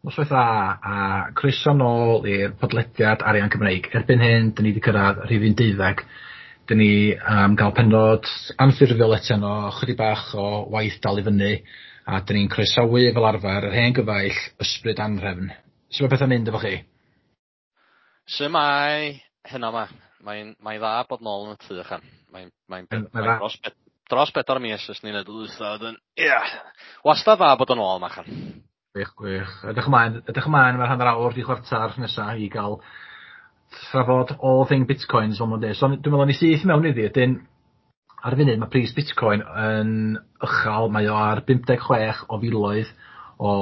Noswaith dda a croeso nôl i'r podlediad Arian Cymreig. Erbyn hyn, dyn ni wedi cyrraedd rhifyn 12. Dyn ni am gael penod anffurfiol eto no, chydig bach o waith dal i fyny, a dyn ni'n croesawu fel arfer yr hen gyfaill Ysbryd Anhrefn. Sut mae pethau'n mynd efo chi? Shwmae? Heno 'ma. Mae'n mae dda bod nôl yn y tŷ ychan. Mae'n dros 4 mis ers ni wneud y dwytha wedyn, ia, wastad dda bod yn ôl 'ma chan. Gwych, gwych. Edrych ymlaen mae'r hanner awr di chwarter nesa i gael trafod all thing bitcoins, fel ma'n dweud. So dwi'n meddwl ni syth mewn iddi, ydyn ar y funud mae pris bitcoin yn uchel, mae o ar 56 o filoedd o,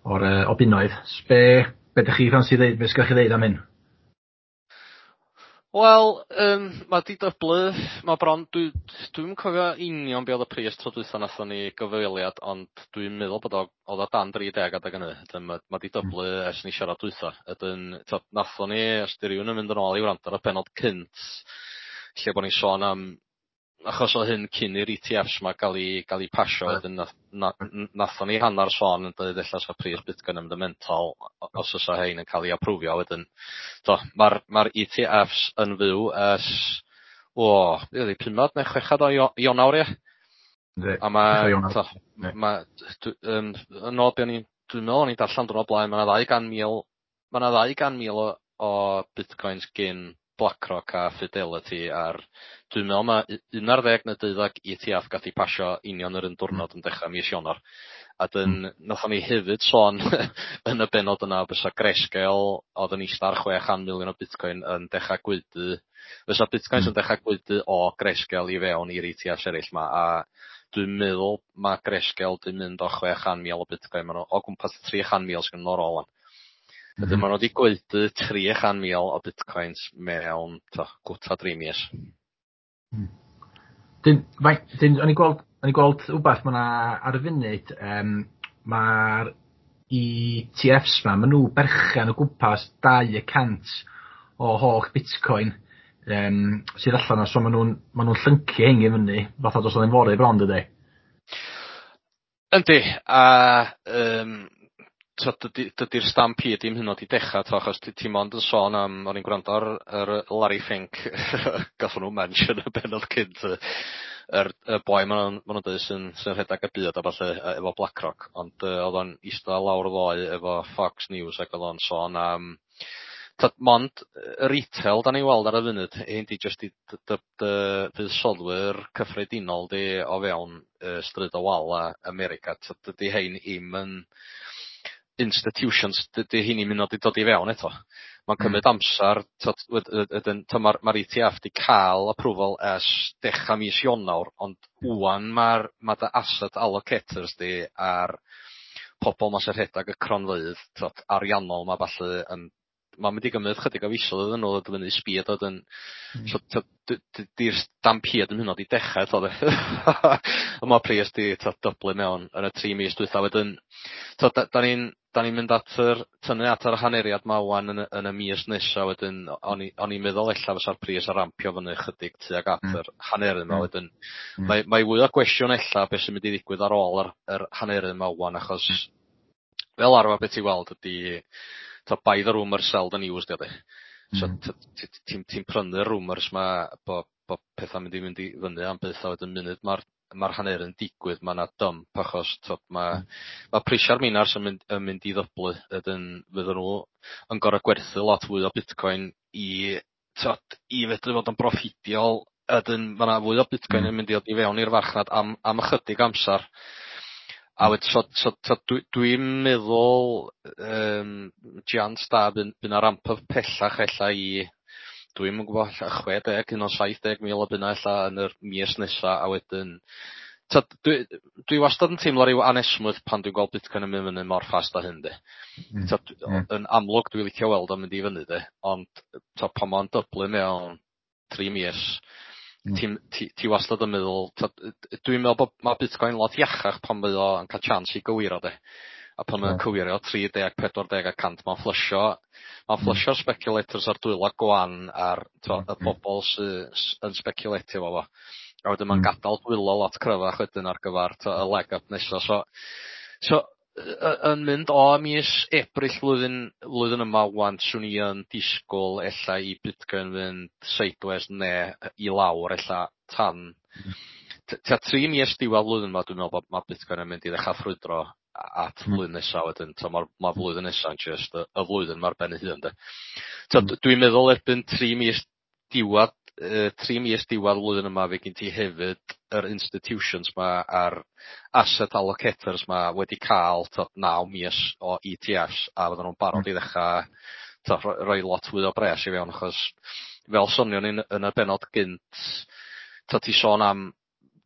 o'r, o bunnoedd. Be ydych chi ffansi ddeud, be sgynnoch chi ddeud am hyn? Wel, mae di dyblu, mae bron, dwi'n cofio union be oedd y pris tro dwytha nathon ni gyfweliad, ond dwi'n meddwl bod o, oedd o dan 30 adeg hynny. Wedyn mae di dyblu ers ni siarad dwytha. Wedyn, t'od, nathon ni, os di rywun yn mynd yn ôl i wrando ar y penod cynt, lle bod ni'n sôn am, achos o hyn cyn i'r ETFs ma gael ei pasio, wedyn nathon ni hanner sôn yn dweud ella sa pris Bitcoin yn mynd yn mental os oes hein yn cael ei aprwfio wedyn. To, mae'r ma ETFs yn fyw ers, o, be oedd hi, 5 neu 6 o Ionawr, ie? A mae, to, ma, yn ôl be o'n i'n, dwi'n meddwl o'n i'n darllen dwrnod blaen, mae yna 200,000, mae yna 200,000 o bitcoins gyn BlackRock a Fidelity ar, dwi'n meddwl mae 11 neu 12 ETF gath ei pasio union yr un diwrnod yn dechrau mis Ionawr. A dyn, nathon ni hefyd sôn yn y benod yna bysa Grayscale oedd yn ista ar 600 miliwn o bitcoin yn dechrau gwaedu, fysa bitcoins yn dechrau gwaedu o Grayscale i fewn i'r ETFs eraill ma, a dwi'n meddwl mae Grayscale di mynd o 600,000 o bitcoin, maen nhw o gwmpas 300,000 sgyn nhw ar ôl. Wedyn maen nhw wedi gwaedu 300,000 o bitcoins mewn to, gwta 3 mis. Dyn, o'n i gweld wbath mae 'na ar y funud, mae'r ETFs ma, maen nhw berchen o gwmpas 2% o holl bitcoin sydd allan o, so maen nhw'n llyncu hein i fyny, fatha dos o'n fory bron, dydy? Yndi, a so dydy'r stampede dim hyn oed i dechrau, to, achos ti mond yn sôn am, o'n i'n gwrando ar yr Larry Fink, gathon nhw mention y benod cynt, y boi ma nhw'n dweud sy'n rhedeg y byd a falle efo BlackRock, ond oedd o'n eistedd lawr ddoe efo Fox News ac oedd o'n sôn am t'od, mond y retail da ni'n weld ar y funud, hyn di jyst i dy fuddsoddwyr cyffredinol di o fewn stryd o wal a America, t'od, dydy hein i'm yn institutions, dydy hyn i'm yn dod i fewn eto. Mae'n cymryd amser, t'od, wedyn, t'od, ma'r ETF di cael approval ers dechrau mis Ionawr, ond ŵan ma dy asset allocators di a'r pobol ma sy'n rhedeg y cronfeydd, t'od, ariannol ma falle yn mae'n mynd i gymryd chydig o fisoedd iddyn nhw ddod fyny speed wedyn. So t'od, di'r stampede yn hynod i dechrau eto de. Ond mae pris di, t'od, dyblu mewn yn y 3 mis dwytha wedyn. T'od, da ni'n mynd at yr tynnu at yr haneriad ma ŵan yn y mis nesa wedyn o'n i'n meddwl ella fysa'r pris ar rampio fyny chydig tuag at yr haneru 'ma wedyn. Mae fwy o gwestiwn ella beth sy'n mynd i ddigwydd ar ôl yr haneru 'ma ŵan, achos fel arfer beth ti'n weld ydi, t'od, buy the rumour, sell the news di o de. So ti'n prynu'r rumours ma bo pethau'n mynd i fyny am byth a wedyn munud mae'r haneru'n digwydd mae 'na dump achos t'od ma' prisiau'r minars yn mynd i ddyblu, wedyn fydden nhw yn gor'o' gwerthu lot fwy o bitcoin i, t'od, i fedru fod yn broffidiol, a wedyn ma' 'na fwy o bitcoin yn mynd i ddod i fewn i'r farchnad am ychydig amsar. A wedyn so dwi'n meddwl chance da by 'na ramp up pellach ella i, dwi'm yn gwybod, ella 60 un o 70,000 o bunna ella yn yr mis nesa, a wedyn t'od dwi wastad yn teimlo ryw anesmwyth pan dwi'n gweld Bitcoin yn mynd fyny mor fast â hyn de. T'od, yn amlwg dwi licio weld o'n mynd i fyny de, ond t'od pan ma'n dyblu mewn 3 mis, ti wastad yn meddwl, t'od, dwi'n meddwl bod ma' Bitcoin lot iachach pan mae o yn cael chance i gywiro de. A pan mae'n cywiro 30, 40 y cant, mae'n fflysio'r speculators ar dwylo gwan a'r t'o' y bobol sy yn speculatio efo fo. A wedyn ma'n gadael dwylo lot cryfach wedyn ar gyfar t'o' y leg up nesa. So Yn mynd o mis Ebrill flwyddyn yma ŵan, 'swn i yn disgwyl ella i Bitcoin fynd sideways ne' i lawr ella tan tua 3 mis diwedd flwyddyn yma. Dwi'n meddwl bod ma' Bitcoin yn mynd i ddechrau ffrwydro at flwyddyn nesa wedyn. So ma'r flwyddyn nesa'n just y flwyddyn ma'r ben ei hun de. So dwi'n meddwl erbyn 3 mis diwedd 3 mis diwedd flwyddyn yma fe gen ti hefyd yr institutions ma a'r asset allocators ma wedi cael 9 mis o ETFs a fydden nhw'n barod i ddechrau rhoi lot fwy o bres i fewn, achos fel sonion ni yn y benod gynt, ti sôn am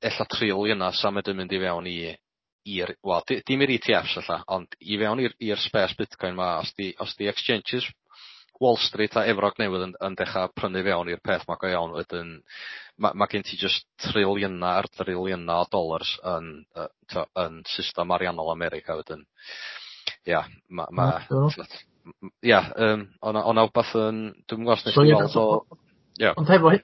ella triliyna sa medru mynd i fewn i'r, wel, dim i'r ETFs ella, ond i fewn i'r space Bitcoin ma, os di exchanges Wall Street a Efrog Newydd yn dechrau prynu fewn i'r peth ma go iawn, wedyn ma gen ti just triliyna ar triliyna o dollars yn system ariannol America wedyn. Ia, ia, o'na wbath yn, dwi'n gwybod os nes i weld o. Ia. Ond hefo,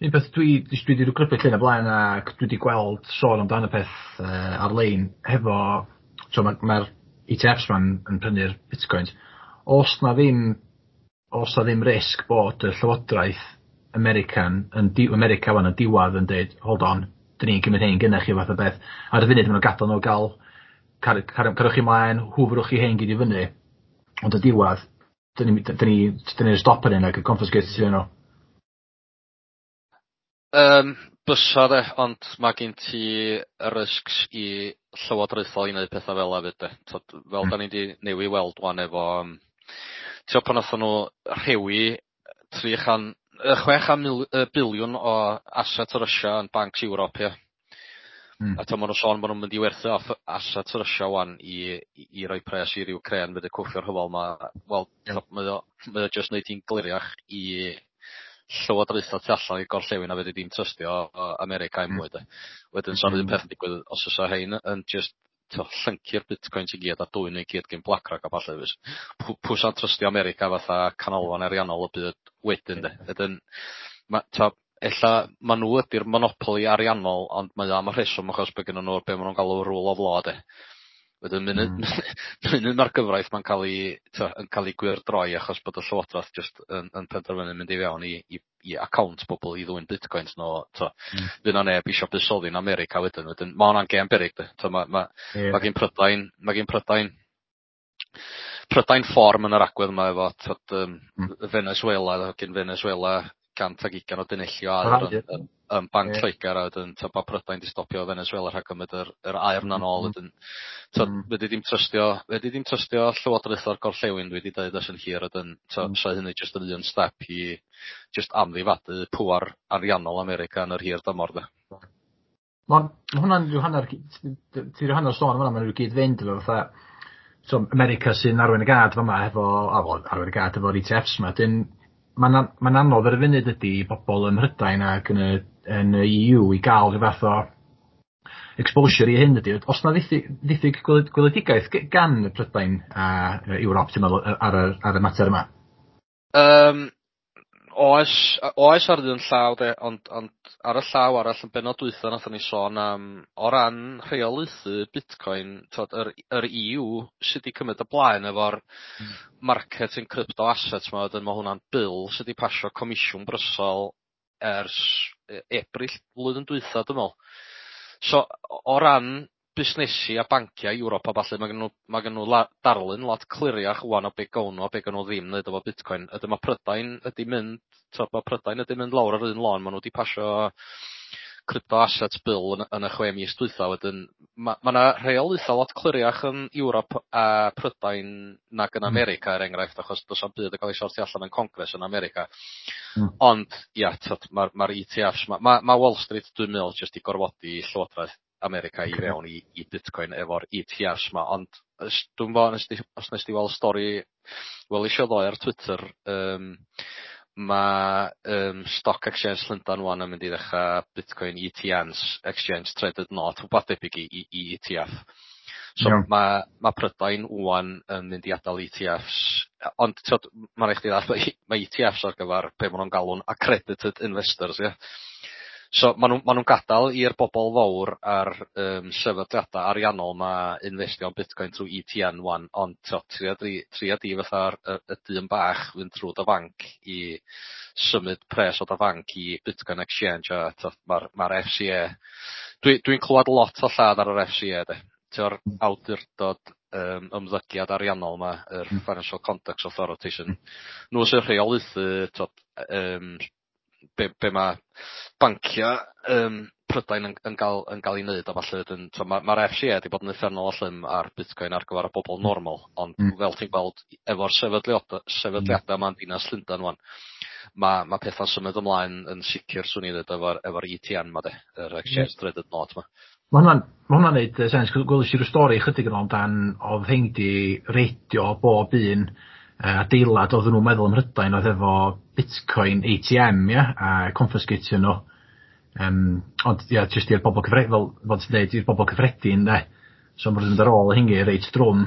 un peth dwi wedi grybwyll hyn o blaen ac dwi wedi gweld sôn amdano y peth ar-lein hefo, so mae'r ma ETFs ma'n yn prynu'r bitcoins. Os na ddim risg bod y llywodraeth American yn di, America wan yn diwadd yn dweud, "Hold on, dyn ni'n cymryd hein gynnech chi," fath o beth. Ar y funud maen nhw'n gadael nhw gael carwch chi mlaen, hwfrwch chi hein gyd i fyny. Ond y diwadd, dyn ni stop yn hyn ac yn confiscate nhw. Bysa de, ond mae gen ti y risks i llywodraethol i wneud pethau fel 'a fyd de. T'od, fel da ni 'di newi weld wan efo t'od pan nathon nhw rhewi 300 600 biliwn o assets Russia yn bancs Ewrop, ia. A t'o' ma' nhw'n sôn bo' nhw'n mynd i werthu off assets Russia wan i roi pres i'r Ukraine fedru cwffio'r rhyfel 'ma. Wel, mae o jyst neud hi'n gliriach i llywodraethau tu allan i'r gorllewin a fedri dim trystio America i'm mwy de. Wedyn sa'r un peth yn digwydd os o's rhein yn just llyncu'r bitcoins i gyd a dwyn i gyd gen BlackRock a ballu. Pwy sa'n trystio America fatha canolfan ariannol y byd wedyn de? Wedyn ma' ella ma' nhw ydi'r monopoli ariannol, ond mae o am y rheswm achos bod gynnon nhw be' ma' nhw'n galw rule of law de. Wedyn munud ma'r gyfraith ma'n cael ei yn cael ei gwyrdroi achos bod y llywodraeth just yn penderfynu mynd i fewn i account bobl i ddwyn bitcoins nhw, fydd 'na neb isio buddsoddi yn America wedyn. Wedyn ma' hwnna'n gêm beryg de. Ma' ma' ma' gin Prydain fform yn yr agwedd yma efo t'od Venezuela, gin Venezuela 120 o dunelli o aur yn Banc Lloegr, a wedyn t'od bo' Prydain 'di stopio Venezuela rhag cymryd yr aur 'na nôl wedyn. T'od fedri dim trystio llywodraeth o'r gorllewin, dwi 'di deud ers yn hir, wedyn t'od sa hynny jyst yn un step i jyst amddifadu pŵar ariannol America yn yr hir dymor de. Ma' hwnna'n rhyw hanner, ti rhyw hanner sôn am hwnna, ma'n rhyw gyd-fynd efo fatha so America sy'n arwain y gad fama efo, a wel, arwain y gad efo'r ETFs 'ma, 'dyn ma'n anodd ar y funud ydy i bobl ym Mhrydain ac yn y EU i gael rhyw fath o exposure i hyn ydy. Os na ddiffyg gweledigaeth gan y Prydain a Ewrop, ti'n meddwl, ar y mater yma? Oes ar un llaw de, ond ar y llaw arall, yn benod dwytha nathon ni sôn am o ran rheolaethu Bitcoin, t'od yr EU sydd 'di cymryd y blaen efo'r market in crypto assets 'ma, wedyn ma' hwnna'n bill sydd 'di pasio Comisiwn Brysel ers Ebrill blwyddyn dwytha, dwi'n me'wl. So o ran busnesi a banciau Ewrop a ballu, ma' gen nhw darlun lot cliriach ŵan o be gown nhw a be gawn nhw ddim neud efo Bitcoin. Ydyn ma' Prydain ydi mynd t'od ma' Prydain ydi mynd lawr yr un lôn, ma' nhw 'di pasio crypto assets bill yn y 6 mis dwytha. Wedyn ma' 'na rheolaetha lot cliriach yn Ewrop a Prydain nag yn America, er enghraifft, achos do's na'm byd yn ca'l ei sortio allan yn Congress yn America. Ond ia, t'od ma'r ETFs ma' Wall Street, dwi'n meddwl, jyst i gorfodi Llywodraeth America i fewn i Bitcoin efo'r ETFs 'ma, ond dwi'm bo' os nes di weld stori weles i o ddoe ar Twitter, ma' Stock Exchange Llundan ŵan yn mynd i ddechra Bitcoin ETNs, Exchange Traded Note, rwbath debyg i ETF. So ma' Prydain ŵan yn mynd i adael ETFs, ond t'od ma' rai' chdi ddallt ma' ETFs ar gyfar be' ma' nw'n galw'n accredited investors, ia? So ma' nhw ma' nhw'n gadael i'r bobl fawr a'r sefydliadau ariannol 'ma investio yn Bitcoin trwy ETN 'wan, ond t'o' tria di fatha'r y dyn bach fynd trwy dy fanc i symud pres o dy fanc i Bitcoin Exchange a t'o' ma'r FCA, dwi'n clywed lot o lladd ar yr FCA de. T'o'r awdurdod ymddygiad ariannol 'ma, yr Financial Conduct Authority sy'n nhw sy'n rheolaethu t'od be ma' bancia Prydain yn ga'l 'i neud a ballu wedyn t'o' ma'r FCA 'di bod yn uffernol o llym ar Bitcoin ar gyfer y bobl normal, ond fel ti'n gweld efo'r sefydliada 'ma'n dinas Llundan 'wan, ma' petha'n symud ymlaen yn sicr swn i ddweud efo'r ETN 'ma de, yr Exchange Traded Note 'ma. Ma' hwnna'n neud sens. Gwelish i ryw stori chydig yn ôl amdan o'dd rhein 'di reidio bob un adeilad oedden nhw'n meddwl ym Mhrydain oedd efo Bitcoin ATM, ia, a confiscatio nhw. Ond ia, jyst i'r bobl cyffredin, fel ti'n deud, i'r bobl cyffredin, de. So ma'n mynd ar ôl hynny reit drwm.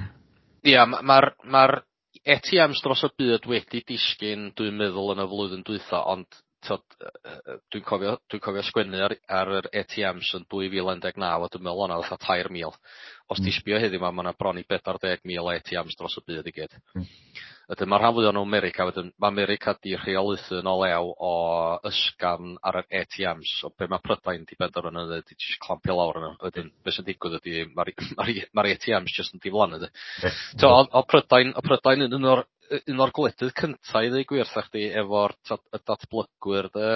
Ia, ma'r ATMs dros y byd wedi disgyn, dwi'n meddwl, yn y flwyddyn dwytha, ond t'od dwi'n cofio sgwennu ar yr ATMs yn 2019 a dwi'n meddwl o'na fatha 3,000. Os ti'n sbio heddiw 'ma, ma' 'na bron i 40,000 o ATMs dros y byd i gyd. Wedyn ma' rhan fwya nhw'n America wedyn, ma' America 'di rheolaethu yn o lew o ysgafn ar yr ATMs, so be ma' Prydain 'di benderfynu neud 'di jyst clampio lawr arno. Wedyn be sy'n digwydd ydi ma'r ATMs jyst yn diflannu 'de. T'o' o'dd Prydain yn un o'r gwledydd cynta i ddweud gwir wrtha chdi efo'r t'od y datblygwyr de,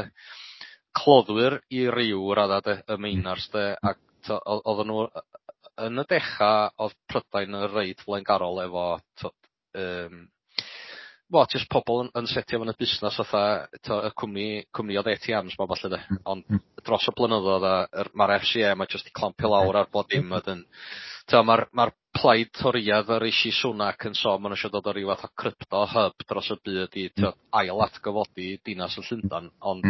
cloddwyr i ryw radda de, y miners de, ac t'o' oedden nhw yn y decha o'dd Prydain yn reit flaengarol efo t'od wel jyst pobl yn setio fyny busnes fatha t'o' y cwmni o'dd ATMs 'ma ballu de, ond dros y blynyddoedd a ma'r FCA ma' jyst 'di clampio lawr ar bob dim wedyn t'o' ma'r plaid Torïaidd y Rishi Sunak yn sôn ma' nhw isio dod o ryw fath o crypto hub dros y byd i t'o' ail atgyfodi dinas yn Llundan, ond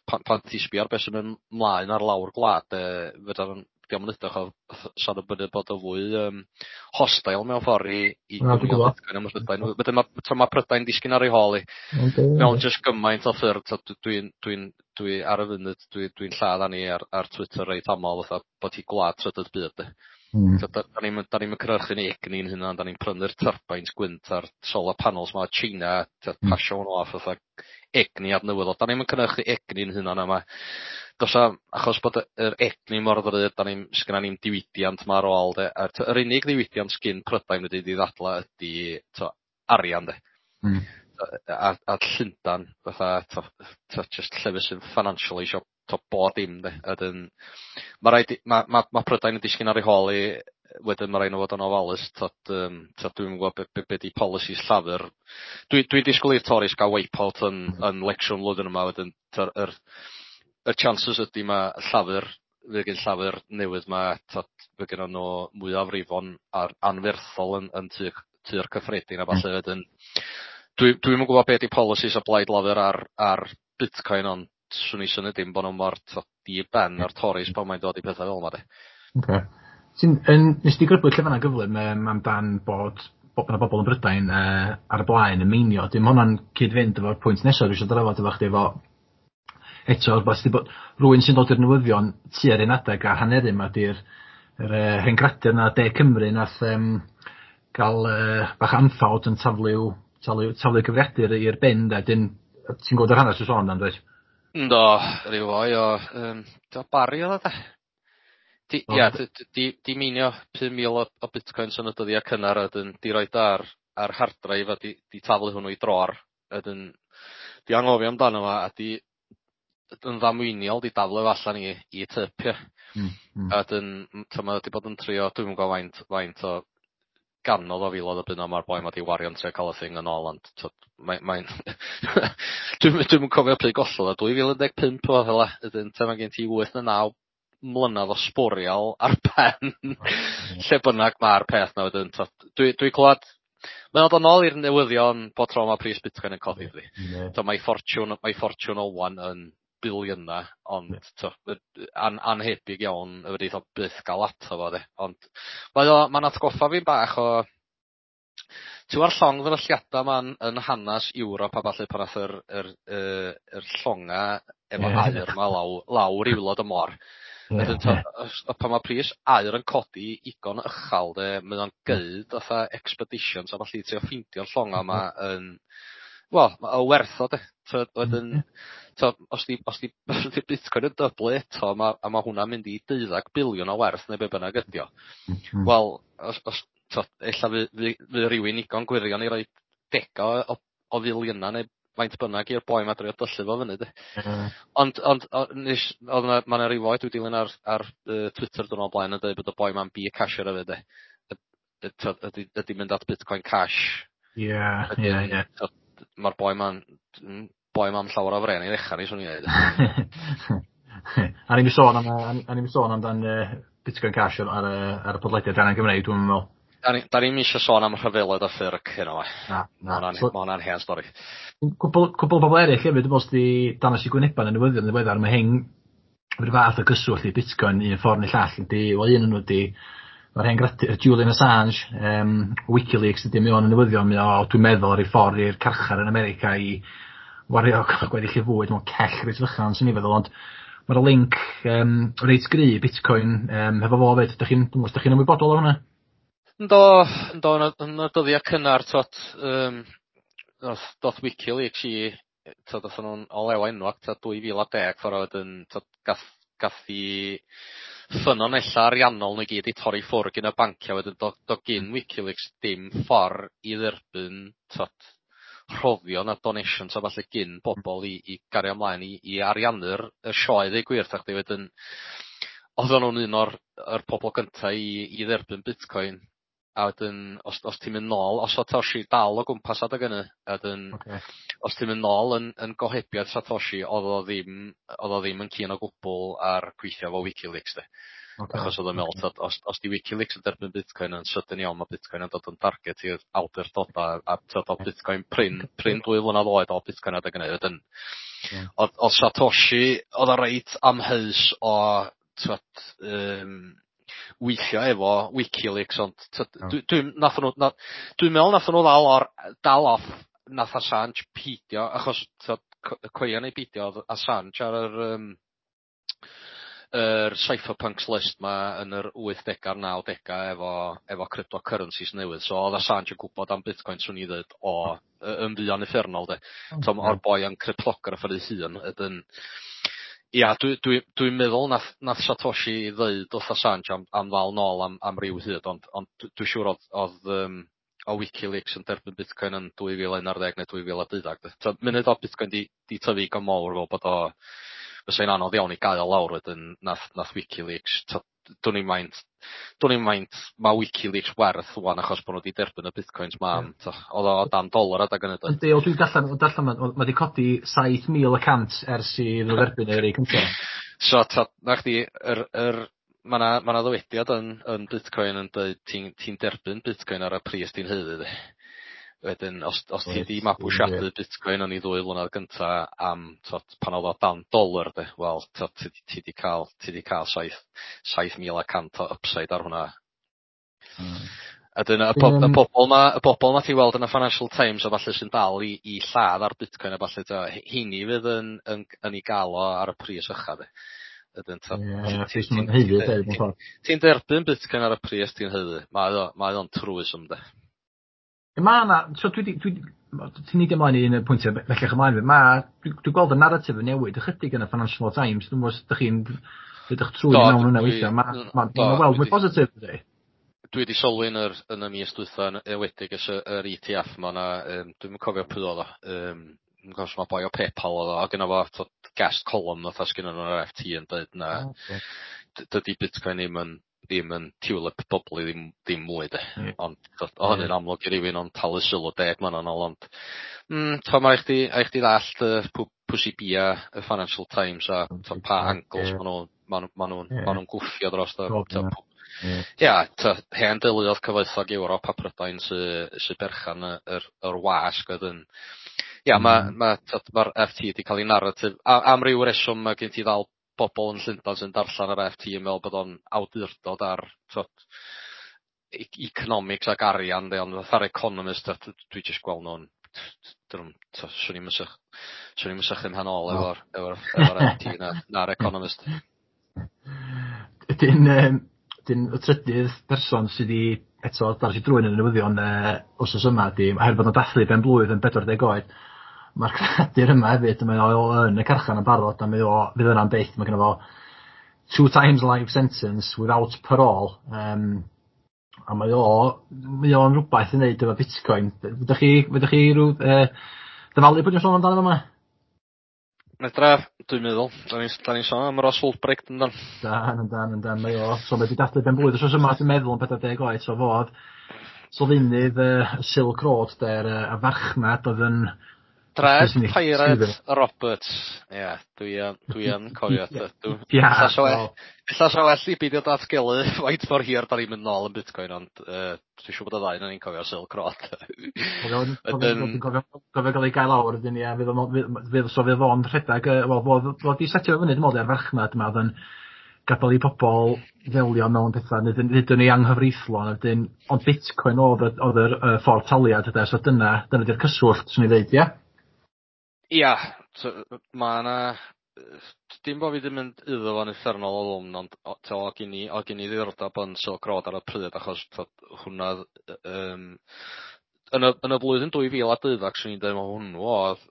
pan ti'n sbio ar beth sy'n mynd mlaen ar lawr gwlad fedra dio'm yn edrych o sôn y byny bod o fwy hostile mewn ffordd i Na, dwi'n gwbo. Bitcoin ym Mhrydain. Wedyn ma' t'o' ma' Prydain disgyn ar ei hôl 'i mewn jyst gymaint o ffyrdd t'od dwi ar y funud dwi'n lladd arni ar Twitter reit amal fatha bod hi gwlad trydydd byd de. T'od 'da ni'm yn cynhyrchu ni egni'n hunan, 'da ni'n prynu'r turbines gwynt a'r solar panels 'ma o China, t'od pasio hwnnw off fatha egni adnewyddol. 'Da ni'm yn cynhyrchu egni'n hunan a ma' do's 'am achos bod yr egni mor ddrud, 'da ni'm sgynna ni'm diwydiant 'ma ar ôl de, a yr unig ddiwydiant sgin Prydain wedi 'di ddadla ydi t'o' arian de. A Llundan fatha t'o' jyst llefydd sy'n financially isio t'o' bob dim de. A wedyn ma' raid i ma' Prydain yn disgyn ar ei hôl 'i wedyn ma' raid nhw fod yn ofalus t'od t'od dwi'm yn gwbod be 'di policies Llafur. Dwi disgwyl i'r Tories ga'l wipe-out yn election flwyddyn yma wedyn t'o'r yr chances ydy ma' Llafur fydd gyn Llafur newydd 'ma t'od fydd gynnon nhw mwyafrifon ar anferthol yn Tŷ'r Cyffredin a ballu wedyn dwi'm yn gwbod be' 'di policies o blaid Lafur ar Bitcoin, ond swn i synnu dim bo' nhw mor t'od di ben ar Tories pan mae'n dod i pethau fel 'ma de. Oce. Ti'n yn nes di grybwyll lle fanna gyflym amdan bod 'na bobl yn Brydain ar y blaen yn meinio. Dim hwnna'n cyd-fynd efo'r pwynt nesaf dwi eisiau drafod efo chdi efo eto rwbath sy 'di bod rywun sy'n dod i'r newyddion tua'r un adeg a haneru 'ma 'di'r yr hen gradur 'na De Cymru nath ga'l bach o anffawd yn taflu cyfrifiadur i'r bin de. Dyn ti'n gwybod yr hanes dwi'n sôn amdan, dwyt? Ynddo, ryw foi o do Barry oedd o de? Di ia di meinio 5,000 o bitcoins yn y dyddiau cynnar a wedyn di roid ar hard drive a di taflu hwnnw i dror a wedyn di anghofio amdano fo a di yn ddamweiniol di daflu fo allan i tip, ia. A wedyn t'mo' ma' 'di bod yn trio dwi'm yn gwbo faint o ganodd o filoedd o bunna ma'r boi 'ma 'di wario'n trio ca'l y thing yn ôl, ond t'od mae'n dwi'm yn cofio pryd gollodd o, 2015 o fela, wedyn t'o' ma' gen ti 8 ne' 9 mlynadd o sbwriel ar ben lle bynnag ma'r peth 'na wedyn t'od dwi clwad mae o'n dod nôl i'r newyddion bob tro ma' pris Bitcoin yn codi dydi? T'o' mae ffortiwn o wan yn biliyna, ond t'o' anhebyg iawn y fedrith o byth ga'l ato fo de, ond ma'n atgoffa fi bach o ti'n gwbod llong ddrylliada 'ma'n yn hanas Ewrop a ballu pan nath yr llonga efo aur 'ma lawr i waelod y môr. Wedyn pan mae pris aur yn codi igon uchel de, mae o'n geud fatha expeditions a ballu trio ffeindio'r llonga 'ma yn, wel, o werth o de. T'od wedyn t'od os 'di Bitcoin yn dyblu eto a ma' hwnna'n mynd i 12 biliwn o werth neu be bynnag ydi o. Wel, os t'od ella fy rywun igon gwirion i roi dega o filiyna neu faint bynnag i'r boi 'ma drio dyllu fo fyny de. Ond nes oedd 'na ma' 'na ryw foi dwi dilyn ar Twitter diwrnod blaen yn dweud bod y boi 'ma'n bCasher hefyd de. T'od ydy mynd at Bitcoin Cash. Ie ie ie. Mae'r boi 'ma'n llawer o fren i ddechrau ni, swn i'n dweud. A ni'n sôn amdan Bitcoin Cash ar y podlediad Arian Gymreig, dwi'n meddwl. Da ni'n eisiau sôn am rhyfeloedd a ffyrc heno. Na, na. Ma hwnna'n hen stori. Cwbl o bobl eraill hefyd, dwi'n meddwl, sydd wedi dangos i gwynebau yn y newyddion yn ddiweddar, mae hein rhyw fath o gyswllt i Bitcoin un ffordd neu llall ydy, wel, un o'n nhw ydy, mae'r hen gradur Julian Assange, WikiLeaks ydy, mae o'n y newyddion, mae o, dwi'n meddwl, ar ei ffordd i'r carchar yn America i wario gweddill ei fwyd mewn cell reit fychan, sy'n ni'n feddwl, ond mae'r link reit gry Bitcoin hefo fo 'fyd. Ydych chi'n ymwybodol o hwnna? Yndw, yndw, yn y dyddiau cynnar, t'od, doth WikiLeaks i, t'od, dothon nhw'n o lew enwog, t'od, 2010, ffordd wedyn, t'od, gath i ffynonella ariannol nhw i gyd i torri ffwrdd gyn y banciau. Wedyn do gyn WikiLeaks dim ffordd i dderbyn, t'od, rhoddion a donations a falle gyn bobl i gario ymlaen i ariannu'r y sioe ddeu gwir 'tha chdi. Wedyn oedden nhw'n un o'r yr pobl gynta i dderbyn Bitcoin, a wedyn os ti'n mynd nôl, os Satoshi dal o gwmpas adeg hynny, a wedyn os ti'n mynd nôl yn gohebiaeth Satoshi, oedd o ddim yn keen o gwbl ar gweithio efo WikiLeaks de. Achos oedd o'n meddwl, t'od, os di WikiLeaks yn derbyn Bitcoin yn sydyn iawn, mae Bitcoin yn dod yn target i'r awdurdodau, a t'od, oedd Bitcoin prin 2 flynedd oed o Bitcoin adeg hynny. Wedyn oedd Satoshi, oedd o reit amheus o, t'od, weithio efo WikiLeaks, ond t'od, dwi'n meddwl nath nhw ddal off, nath Assange peidio, achos t'od, coelia neu beidio, oedd Assange ar yr cypherpunks list ma yn yr 80au a'r 90au efo cryptocurrencies newydd. So oedd Assange yn gwybod am Bitcoin, swn i ddweud, o yn fuan uffernol de. So o'r boi yn cryptographer ei hun ydyn. Ia, dwi meddwl nath Satoshi ddeud wrth Assange am ddal nôl am ryw hyd, ond dwi siŵr oedd o WikiLeaks yn derbyn Bitcoin yn 2011 neu 2012. So, munud o Bitcoin di tyfu go mawr fel bod o fysa'n anodd iawn i gael lawr wedyn, nath WikiLeaks, dwn i'm maint mae WikiLeaks werth ŵan achos bod nhw wedi derbyn y Bitcoins ma, oedd o dan dolar adag hynny. Yndi, o dwi'n darllen, mae wedi codi 7,100 ers i nhw dderbyn yr ei cyntaf. So, t'od, na chdi, yr mae 'na ma' 'na ddywediad yn Bitcoin yn dweud ti'n derbyn Bitcoin ar y pris ti'n haeddu de. Wedyn, os ti di mabwysiadu Bitcoin yn ei 2 flynedd gynta am, t'od, pan oedd o dan dolar de, wel, t'od, ti 'di cael 7,100 o upside ar hwnna. A dyna y bobl 'ma ti weld yn y Financial Times a falle sy'n dal i lladd ar Bitcoin a falle, t'o', heini fydd yn ei gael o ar y pris ucha de. Wedyn, t'od, Ie, pris ma'n haeddu, de, mewn ffordd. Ti'n derbyn Bitcoin ar y pris ti'n haeddu. Mae o'n truism de. Mae yna, so ti'n neidio ymlaen i un o'r pwyntiau bellach ymlaen, dwi'n gweld y narratif yn newid ychydig yn y Financial Times, dwi'n gwybod os ydych chi'n ydych trwy mewn hwnna weithiau, mae'n ma, ma weld mwy positif, ydy. Dwi wedi sylwi yn y mis dwytha yn enwedig ers yr ETF ma na, dwi'm yn cofio pwy oedd o, dwi'n cofio os ma boi o PayPal oedd o, a gynno fo, t'od, guest column fatha sgynno nhw ar FT yn dweud na dydy Bitcoin ddim yn tulip bubble ddim mwy de. Ond t'od, o hynny'n amlwg i rywun ond talu sylw 10 mlynedd yn ôl, ond t'od, ma' rhaid chdi ddallt pwy sy bia y Financial Times a t'od, pa angles ma' nhw'n ma' nhw'n gwffio dros o. T'od, ia, t'od, hen deuluoedd cyfoethog Ewrop a Prydain sy berchan yr wasg wedyn. Ia, ma' t'od, ma'r FT 'di cael ei narrative a am ryw reswm mae gen ti ddal bobl yn Llundain sy'n darllen yr FT yn meddwl bod o'n awdurdod ar, t'od, economics ac arian de, ond fatha'r Economist, t'od, dwi jyst gweld nhw'n dyn nhw'n, t'od, swn i'm yn sych Swn i'm yn sychu 'mhen ôl efo'r FT na'r Economist. Wedyn 'dyn y trydydd person sydd 'di eto dar i drwyn yn y newyddion wsos yma 'di oherwydd bod o'n dathlu ben blwydd yn 40 oed, ma'r creadur yma hefyd, mae o yn y carchar yn barod a mae o fydd yna'n byth, mae gynno fo 2 times life sentence without parole, a mae o'n rwbath i wneud efo Bitcoin. Fedrwch chi rw dyfalu pwy dwi'n sôn amdano fama? Medra, dwi'n meddwl. Da ni'n sôn am Ross Ulbricht yndan? Dan, yndan, yndan, mae o. So mae 'di dathlu ben blwydd wsos yma, dwi'n meddwl, yn 40 oed, so fo o'dd sylfaenydd Silk Road de'r y farchnad oedd yn Dread Pirate Roberts. Ie, dwi yn cofio. Ia. Ella sa well i beidio datgelu faint mor hir da ni'n mynd nôl yn Bitcoin, ond dwi'n siŵr bod y ddau ohonon ni'n cofio Silk Road. Cofio gael ei gael lawr wedyn, ie, fydd so fydd o'n rhedeg, wel, fo 'di setio fyny, dwi'n meddwl, ar farchnad yma, oedd yn gadael i pobl ddelio mewn pethau, nid yn ei anghyfreithlon, wedyn, ond Bitcoin oedd yr ffordd taliad, yde, so dyna 'di'r cyswllt, swn i'n dweud, ie? Ia, ma' 'na, dim bo' fi 'di mynd iddo fo'n uffernol o ddwfn, ond o' gen i ddiddordeb yn Silk Road ar y pryd, achos hwnna yn y flwyddyn 2012, swn i'n dweud ma' hwnnw oedd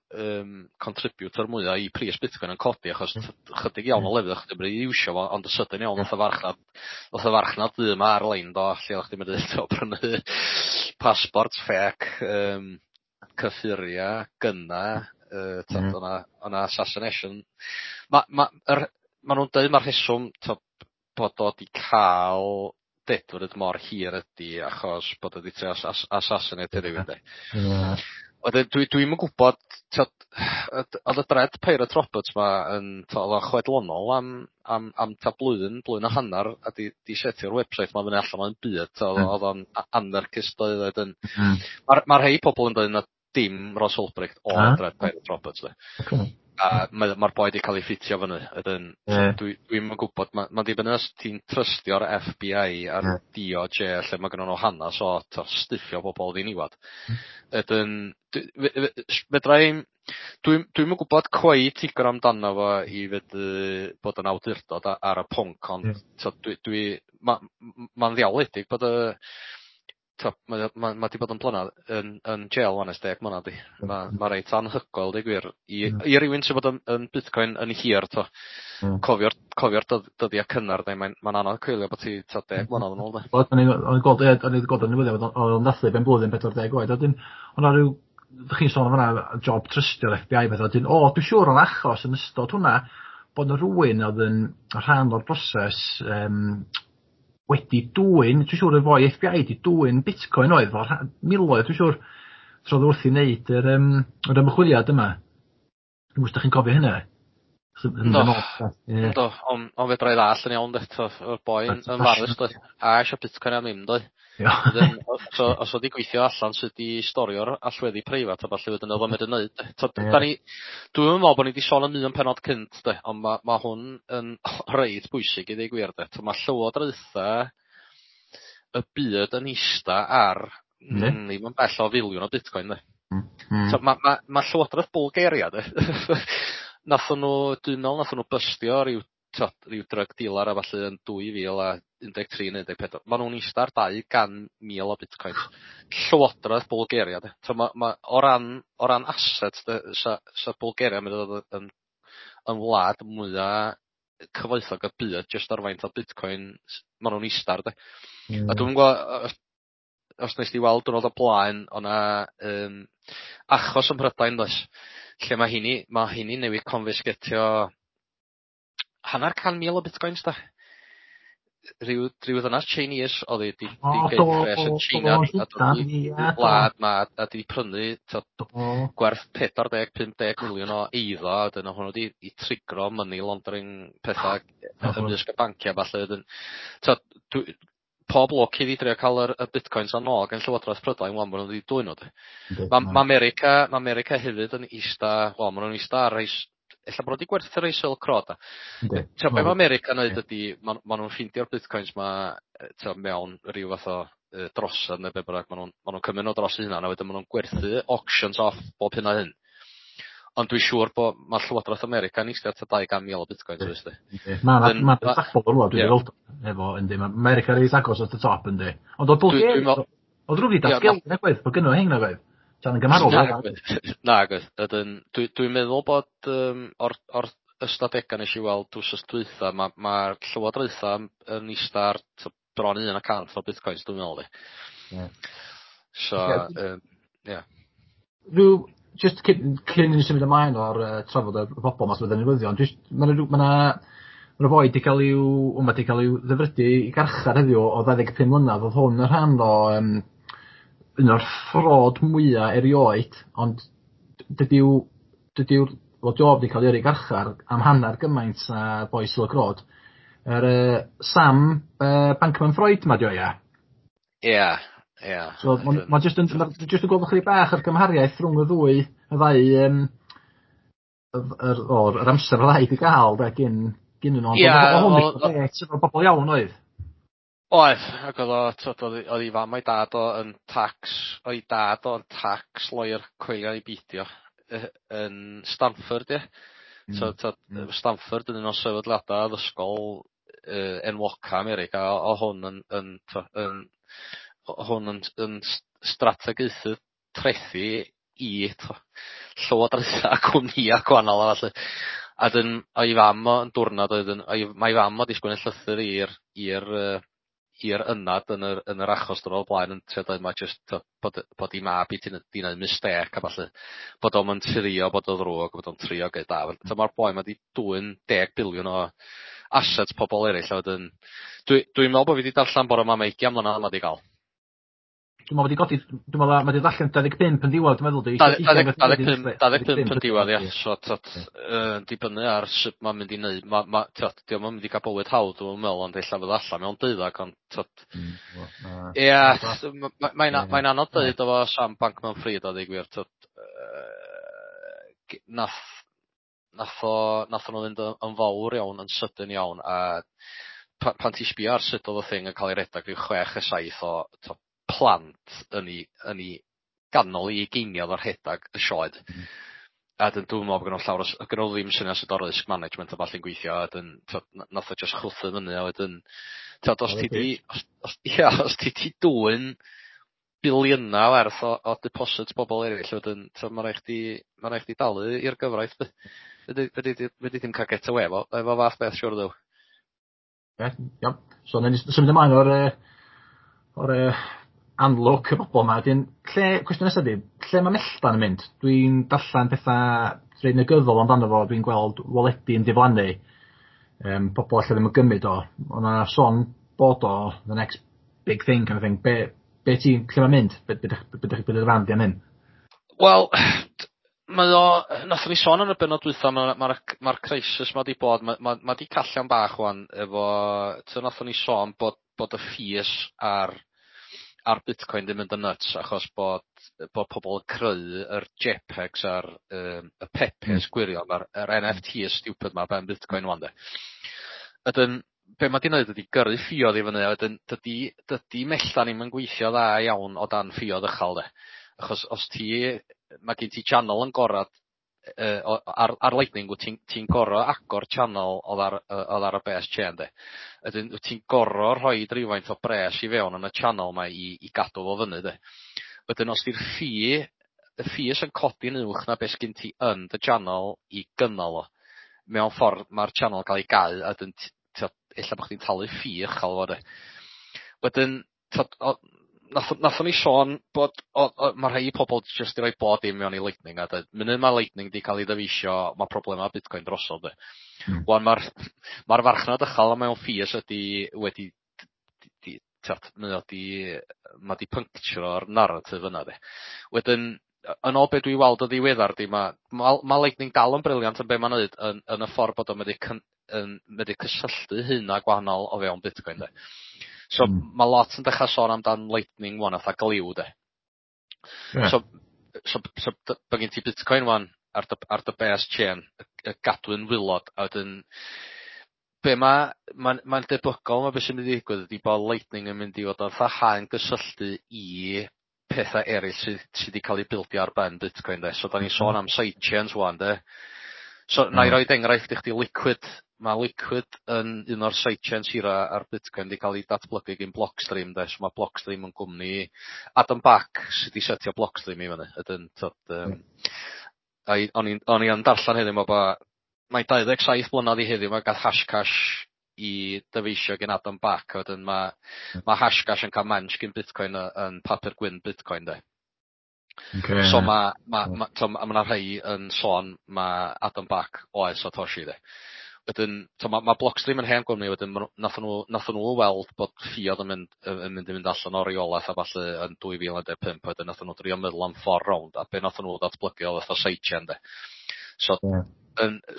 contributor mwyaf i pris Bitcoin yn codi, achos chydig iawn o lefydd o'ch chdi'n medru iwsio fo, ond y sydyn iawn nath y farchnad ddu yma ar-lein do, lle o'ch chdi'n medru prynu passport fake, cyffuria, gynna, o'na assassination. Ma' nhw'n dweud ma'r rheswm bod o 'di cael dedfryd mor hir ydi achos bod o 'di trio assassinate rhywun de. Wedyn dwi'm yn gwybod, oedd y Dread Pirate Roberts 'ma yn oedd o'n chwedlonol am ta blwyddyn a hanner a 'di setio'r website 'ma fyny allan o'n byd, oedd o'n anarchist oedd wedyn. Ma' rhei pobl yn dweud na dim Ross Ulbricht o'r Dread Pirate Roberts de. A mae'r boi 'di cael ei ffitio fyny. Wedyn dwi'm yn gwybod, ma'n dibynnu os ti'n trystio'r FBI a'r DOJ lle mae gynnon nhw hanas o stiffio bobl ddiniwad. Wedyn fedra i'm dwi'm yn gwybod cweit digon amdano fo i fedru bod yn awdurdod ar y pwnc, ond ma'n ddiawledig bod y ma' 'di bod yn blynadd yn jail wan ers 10 mlynedd di. Ma' reit anhygoel deud gwir i rywun sy'n bod yn Bitcoin yn hir to. Cofio'r dyddiau cynnar de, mae'n anodd coelio bod ti 10 mlynedd yn ôl de. O'n i'n gweld yn newyddion oedd o'n dathlu ben blwyddyn 40 oed. Wedyn o'na rhyw, ydych chi'n sôn am hwnna, job trystio'r FBI beth, wedyn dwi'n siŵr o'n achos yn ystod hwnna bod 'na rhywun oedd yn rhan o'r broses wedi dwyn, dwi'n siŵr y foi FBI wedi dwyn Bitcoin oedd fo, miloedd, dwi'n siŵr, so oedd wrth i wneud yr ymchwiliad yma. Dwi'n gwybod os ydych chi'n cofio hynna? Do, ond fedra i ddallt yn iawn, o'r boi yn farus, a eisiau Bitcoin am ddim, doi. So, os oedd i gweithio allan sut i storio'r allweddi preifat a ballu wedyn oedd o'n medru neud. Dwi'n meddwl bod ni wedi sôn am un pennod cynt, de, ond ma' hwn yn reit bwysig i ddweud gwir. De. Mae llywodraetha y byd yn ista ar ddim yn bell o filiwn o Bitcoin. De. So, ma' Llywodraeth Bulgaria, de. Nathon nhw, dwi'n meddwl nathon nhw bystio ryw drug dealer a falle yn 2013 neu 14. Ma' nhw'n ista ar 200,000 o Bitcoins. Llywodraeth Bulgaria de. So ma' o ran assets de, sa Bulgaria yn mynd i ddod yn wlad mwya cyfoethog y byd jyst ar faint o Bitcoin ma' nhw'n ista ar de. A dwi'm yn gwybod os nes di weld diwrnod o blaen o'na achos ym Mhrydain does, lle mae heini newydd confisgetio 500,000 o Bitcoins da. Rhyw ddynas Chinese oedd hi 'di gneud pres yn China a dod i wlad ma a 'di prynu gwerth 40-50 miliwn o eiddo, a dyna hwnnw 'di i trigro money laundering pethau ymysg y bancia falle. Wedyn pob lwc iddi drio cael y Bitcoins am nôl gan Llywodraeth Prydain wan bod nhw wedi dwyn nhw. Ma' America hefyd yn ista, wel ma' nhw'n ista ar rei, ella bod nhw wedi gwerthu rei Silk Road. Be mae America'n neud ydi, ma' nhw'n ffeindio'r Bitcoins ma mewn rhyw fath o drosedd neu be bynnag, ma' nhw'n cymryd nhw dros eu hunan a wedyn ma' nhw'n gwerthu auctions off bob hyn a hyn. Ond dwi'n siŵr bod mae Llywodraeth America yn eistedd tua 200,000 o bitcoins wrth di. Mae 'na ma' 'na rwla dwi 'di weld efo yndi ma' America reit agos at y top yndi. Ond o'dd Bulgaria o'dd rhywun 'di datgelu nag oedd bod gynno hein nag oedd? Tan yn gymharol Nag oedd. Ydyn dwi'n meddwl bod um, o'r ystadegau nes i weld wsos dwytha ma' ma'r llywodraetha yn ista ar bron 1% o bitcoins dwi'n meddwl 'di. Ie. So ie. Rhyw just cyn i ni symud ymlaen o'r trafod y bobol 'ma sydd yn newyddion jyst ma' 'na ma' 'na ma' 'na foi 'di ca'l i'w o ma' 'di ca'l i'w ddedfrydu i garchar heddiw o 25 mlynadd o'dd hwn yn rhan o yym un o'r ffrod mwya erioed ond dydyw dydyw wel Job 'di ca'l 'i yrru i garchar am hannar gymaint â boi Silk Road. Yr Sam Bankman Freud 'ma 'di o ia? Ia ia. So ma' jyst yn ma' jyst yn gweld chydig bach o'r gymhariaeth rhwng y ddwy y ddau yym yr o'r yr amser o ddau 'di ga'l 'de gyn gyn nhw ond Ia oedd bobol iawn oedd? Oedd ac oedd o t'od oedd 'i fam a'i dad o yn tax o'i dad o'n tax lawyer coelio i beidio yn Stanford ie? So t'od Stanford yn un o sefydliada addysgol enwoca America o hwn yn yn t'o' yn hwn yn yn strategaethu trethi i t'o' llywodraetha a cwmnïa gwahanol a ballu. A 'dyn o'i fam o yn diwrnod oedd yn o'i mae fam o 'di sgwennu llythyr i'r i'r i'r ynad yn yr yn yr achos diwrnod o'r blaen yn trio deud ma' jyst t'o' bod 'i mab 'i 'di neud mistêc a ballu. Bod o'm yn trio bod o ddrwg, bod o'n trio geud da. Mm. Ma'r boi 'ma 'di dwyn 10 biliwn o assets pobol eraill a wedyn dwi'n meddwl bod fi 'di darllen bore 'ma ma' 20 mlynedd ma' 'di ga'l. Dwi'n meddwl wedi godi, dwi'n meddwl mae wedi allan 25 yn diwedd, dwi'n meddwl di. 25 yn diwedd, ia. So, tot, dibynnu ar sut mae'n mynd i wneud, ma, ma, tot, di o'm yn mynd i gael bywyd hawdd, dwi'n meddwl, ond ella fydd allan mewn deuddag, ond, tot, ia, mae'n mae anodd dweud efo Sam Bankman-Fried, a dweud gwir, tot, nath, nath o, nath nhw fynd yn fawr iawn, yn sydyn iawn, a pan ti'n sbio ar sut oedd y thing yn cael ei redag rhyw 6 a 7 o to, plant yn 'i ganol 'i ugeiniau o'r rhedag y sioed. A dyn dwi'n meddwl bod gynno llawer o gynno ddim syniad sut o risk management a ballu'n gweithio a dyn t'od nath o jyst chwythu fyny a wedyn t'od os ti 'di os os ia os ti 'di dwyn biliyna werth o deposits bobol eraill wedyn t'od ma' raid chdi ma' raid chdi dalu i'r gyfraith 'di. Fedri fedri ddim ca'l get away efo fath beth siŵr dduw. Ie, iawn. So nawn ni symud ymlaen o'r anlwc y bobol 'ma wedyn lle cwestiwn nesa 'di lle ma' Melltan yn mynd? Dwi'n darllan petha reit negyddol amdano fo, dwi'n gweld waledi yn diflannu, pobol ella ddim yn gymryd o. O' 'na sôn bod o the next big thing kind of thing. Be be ti'n lle ma'n mynd? Be be be be dy farn di am hyn? Wel, mae o, nathon ni sôn yn y bennod dwytha, mae'r ma, ma crisis ma 'di bod, mae ma, ma 'di callio'n bach wan efo, nathon ni sôn bod y fees ar Bitcoin ddim mynd yn nuts achos bod pobl yn creu yr JPEGs a'r y Pepes gwirion, ma'r yr NFTs stupid ma ben Bitcoin wan de. Ydyn, be mae 'di wneud ydi gyrru ffiodd i fyny a wedyn dydy Melltan ddim yn gweithio dda iawn o dan ffiodd uchel de. Achos os ti, mae gen ti channel yn gorad ar Lightning wyt ti'n gor'o' agor channel odd ar y base chain de. Wedyn wyt ti'n gor'o' rhoid rywfaint o bres i fewn yn y channel 'ma i gadw fo fyny de. Wedyn os 'di'r fee, y fees yn codi'n uwch na beth sgin ti yn dy channel i gynnal o, mewn ffordd ma'r channel yn cael ei gau a wedyn ella bo' chdi'n talu fee uchel fo de. Wedyn nathon ni sôn bod ma' rhai pobol jyst i roi bod dim mewn i Lightning a dweud munud ma' Lightning 'di cael ei ddyfeisio ma' problema Bitcoin drosodd de. Wan ma'r farchnad uchel mewn fees ydi wedi mae o 'di ma' 'di puncturo'r narrative yna de. Wedyn yn ôl be dwi weld o ddiweddar 'di ma' Lightning dal yn brilliant yn be ma'n neud yn y ffordd bod o'n medru cysylltu hynna gwahanol o fewn Bitcoin de. So ma' lot yn dechrau sôn amdan Lightning wan fatha gliw de. Yeah. So bo' gen ti Bitcoin wan ar dy base chain, y gadwyn wylod, a wedyn be mae'n debygol ma' be sy'n mynd i ddigwydd ydi bod Lightning yn mynd i fod fatha haen gysylltu i pethau eraill sydd wedi cael eu bildio ar ben Bitcoin de. So da ni'n sôn am sidechains wan de. So na i roid enghraifft i chdi Liquid. Mae Liquid yn un o'r sidechains hira ar Bitcoin wedi cael ei datblygu gyn Blockstream de. So mae Blockstream yn gwmni Adam Back sydd wedi setio Blockstream i fyny. Ydyn, t'od, o'n i yn darllen heddiw 'ma bo' mae 27 blynedd i heddiw 'ma gath Hashcash i dyfeisio gen Adam Back, a wedyn ma' Hashcash yn cael mensh gyn Bitcoin yn papur gwyn Bitcoin de. So ma' 'na rhai yn sôn ma' Adam Back oedd Satoshi de. Wedyn so ma' Blockstream yn hen gwmni, wedyn ma' nathon nhw weld bod ffïodd yn mynd i fynd allan o reolaeth a ballu yn 2015, wedyn nathon nhw drio meddwl am ffordd rownd, a be nathon nhw ddatblygu oedd fatha sidechain de. So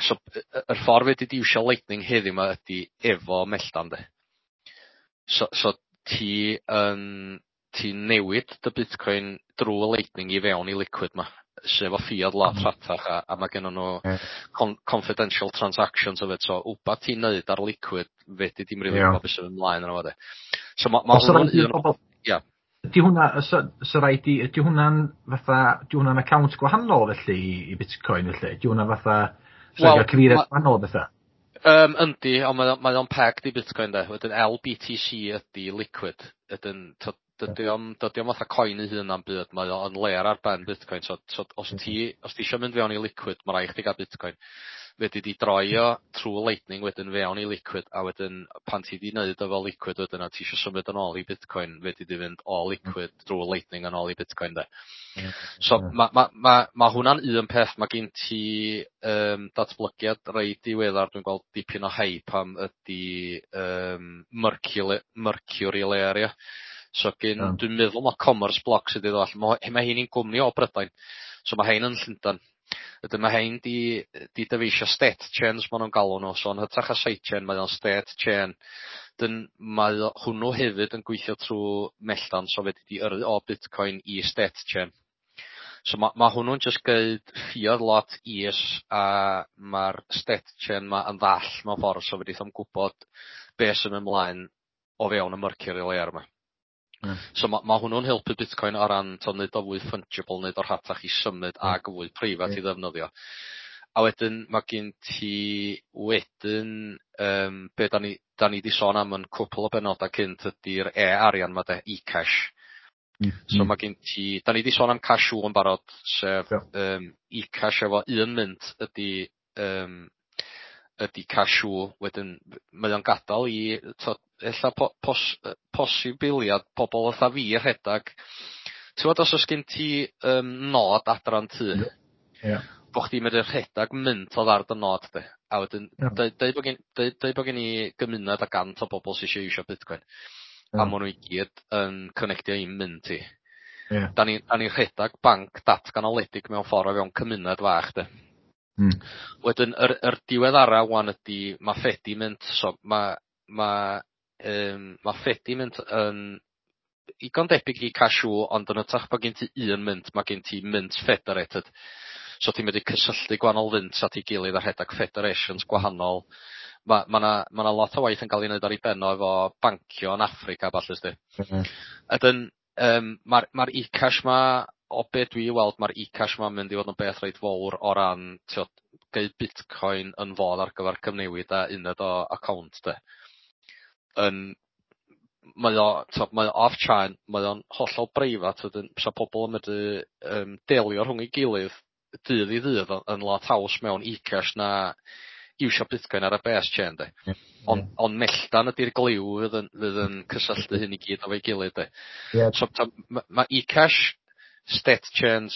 so yr ffordd fedri di iwsio Lightning heddiw 'ma ydy efo melltan de. So ti'n newid dy Bitcoin drwy Lightning i fewn i Liquid 'ma, sef o ffïodd lot rhatach a ma' gennon nhw confidential transactions hefyd, so wbath ti'n neud ar Liquid fedri di'm rili gwbod beth sy'n ymlaen yno fo de. So ma' Oes hwnnw'n raid i un bobl. Ia. Ydy hwnna, oes raid i, ydy hwnna'n fatha, ydy hwnna'n account gwahanol felly i Bitcoin felly? Ydy hwnna fatha, so Wel, gael cyfeiriad gwahanol o bethau? Yndi, ond mae o'n pegged i Bitcoin de. Wedyn LBTC ydy Liquid. Wedyn, t'od, dydy o'm fatha coin ei hun am byd, mae o'n layer ar ben Bitcoin. So os ti isio mynd fewn i Liquid, mae rhaid chdi gael Bitcoin. Fedri di droi o trwy Lightning wedyn fewn i Liquid, a wedyn pan ti di wneud efo Liquid wedyn a ti isio symud yn ôl i Bitcoin, fedri di fynd o Liquid drwy Lightning yn ôl i Bitcoin de. So ma hwnna'n un peth. Mae gen ti datblygiad reit diweddar, dwi'n gweld dipyn o hype am ydy Mercury Layer, ia. So gen, dwi'n meddwl ma' Commerce Block sydd wedi ddod allan. Ma' hein i'n gwmni o Brydain. So ma' hein yn Llundain. Wedyn ma' hein di dyfeisio state chains ma' nhw'n galw nhw. So yn hytrach â sidechain mae o'n state chain. Dyn mae hwnnw hefyd yn gweithio trwy melltan, so fedri di yrru o Bitcoin i state chain. So ma' hwnnw'n jyst geud ffïodd lot is a ma'r state chain 'ma yn ddall mewn ffordd, so fedrith o'm gwybod be sy'n ymlaen o fewn y Mercury Layer 'ma. So ma' hwnnw'n helpu Bitcoin o ran t'o' neud o fwy fungible, neud o rhatach i symud ag fwy preifat i ddefnyddio. A wedyn ma' gen ti wedyn be 'dan ni 'di sôn am yn cwpl o benodau cynt ydy'r e-arian 'ma de, e-cash. So ma' gen ti, 'dan ni 'di sôn am Cashu yn barod, sef e-cash efo un mint ydy Cashu, wedyn mae o'n gadal i t'od ella posibiliad pobol fatha fi rhedag. T'wod os o's gen ti nod adran tŷ, bo' chdi'n medru rhedag mint odd ar dy nod de, a wedyn deud bo' gen i gymuned o 100 o bobol sy isio iwsio Bitcoin, a ma' nw i gyd yn connectio i mint i. 'Dan ni rhedag banc datganoledig mewn ffordd o fewn cymuned fach de. Wedyn yr diweddara ŵan ydy ma' Fedimint, so ma' Fedimint yn igon debyg i Cashu, ond yn hytrach bo' gen ti un mint, ma' gen ti mint federated. So ti'n medru cysylltu gwahanol fynts at ei gilydd a rhedag federations gwahanol. Ma' 'na lot o waith yn cael ei wneud ar ei ben o efo bancio yn Affrica a ballu sti. Wedyn ma'r e-cash 'ma, o be dwi weld, ma'r e-cash 'ma'n mynd i fod yn beth reit fowr o ran t'od geud Bitcoin yn fodd ar gyfer cyfnewid a uned o account de. Yn mae o t'od mae o off-chain, mae o'n hollol breifat, wedyn sa pobol yn medru delio rhwng ei gilydd dydd i ddydd yn lot haws mewn e-cash na iwsio Bitcoin ar y base chain de. Ond melltan ydy'r gliw fydd yn cysylltu hyn i gyd efo'i gilydd de. So ma' e-cash, state chains,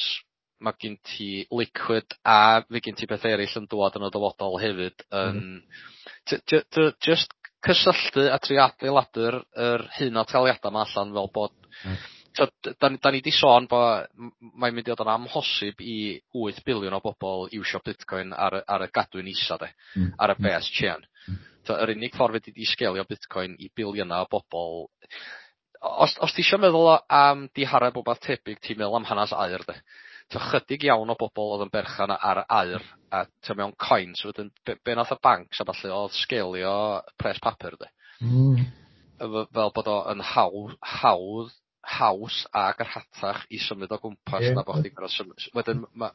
ma' gen ti Liquid a fe gen ti beth eraill yn dŵad yn y dyfodol hefyd yn just cysylltu a trio adeiladu'r yr hunantaliada 'ma allan fel bod t'od 'dan ni 'di sôn bo' mae'n mynd i fod yn amhosib i 8 biliwn o bobol iwsio Bitcoin ar y gadwyn isa de, ar y base chain. So yr unig ffordd fedri di sgelio Bitcoin i biliyna o bobol, os ti isio meddwl am dihareb wbath tebyg, ti'n meddwl am hanes aur de. Ta chydig iawn o bobol oedd yn berchan ar aur a ta mewn coins, wedyn be nath y bancs a ballu oedd sgelio pres papur de. Fel bod o yn hawdd haws ag yr rhatach i symud o gwmpas na bo' chdi'n gor'o' symud wedyn ma'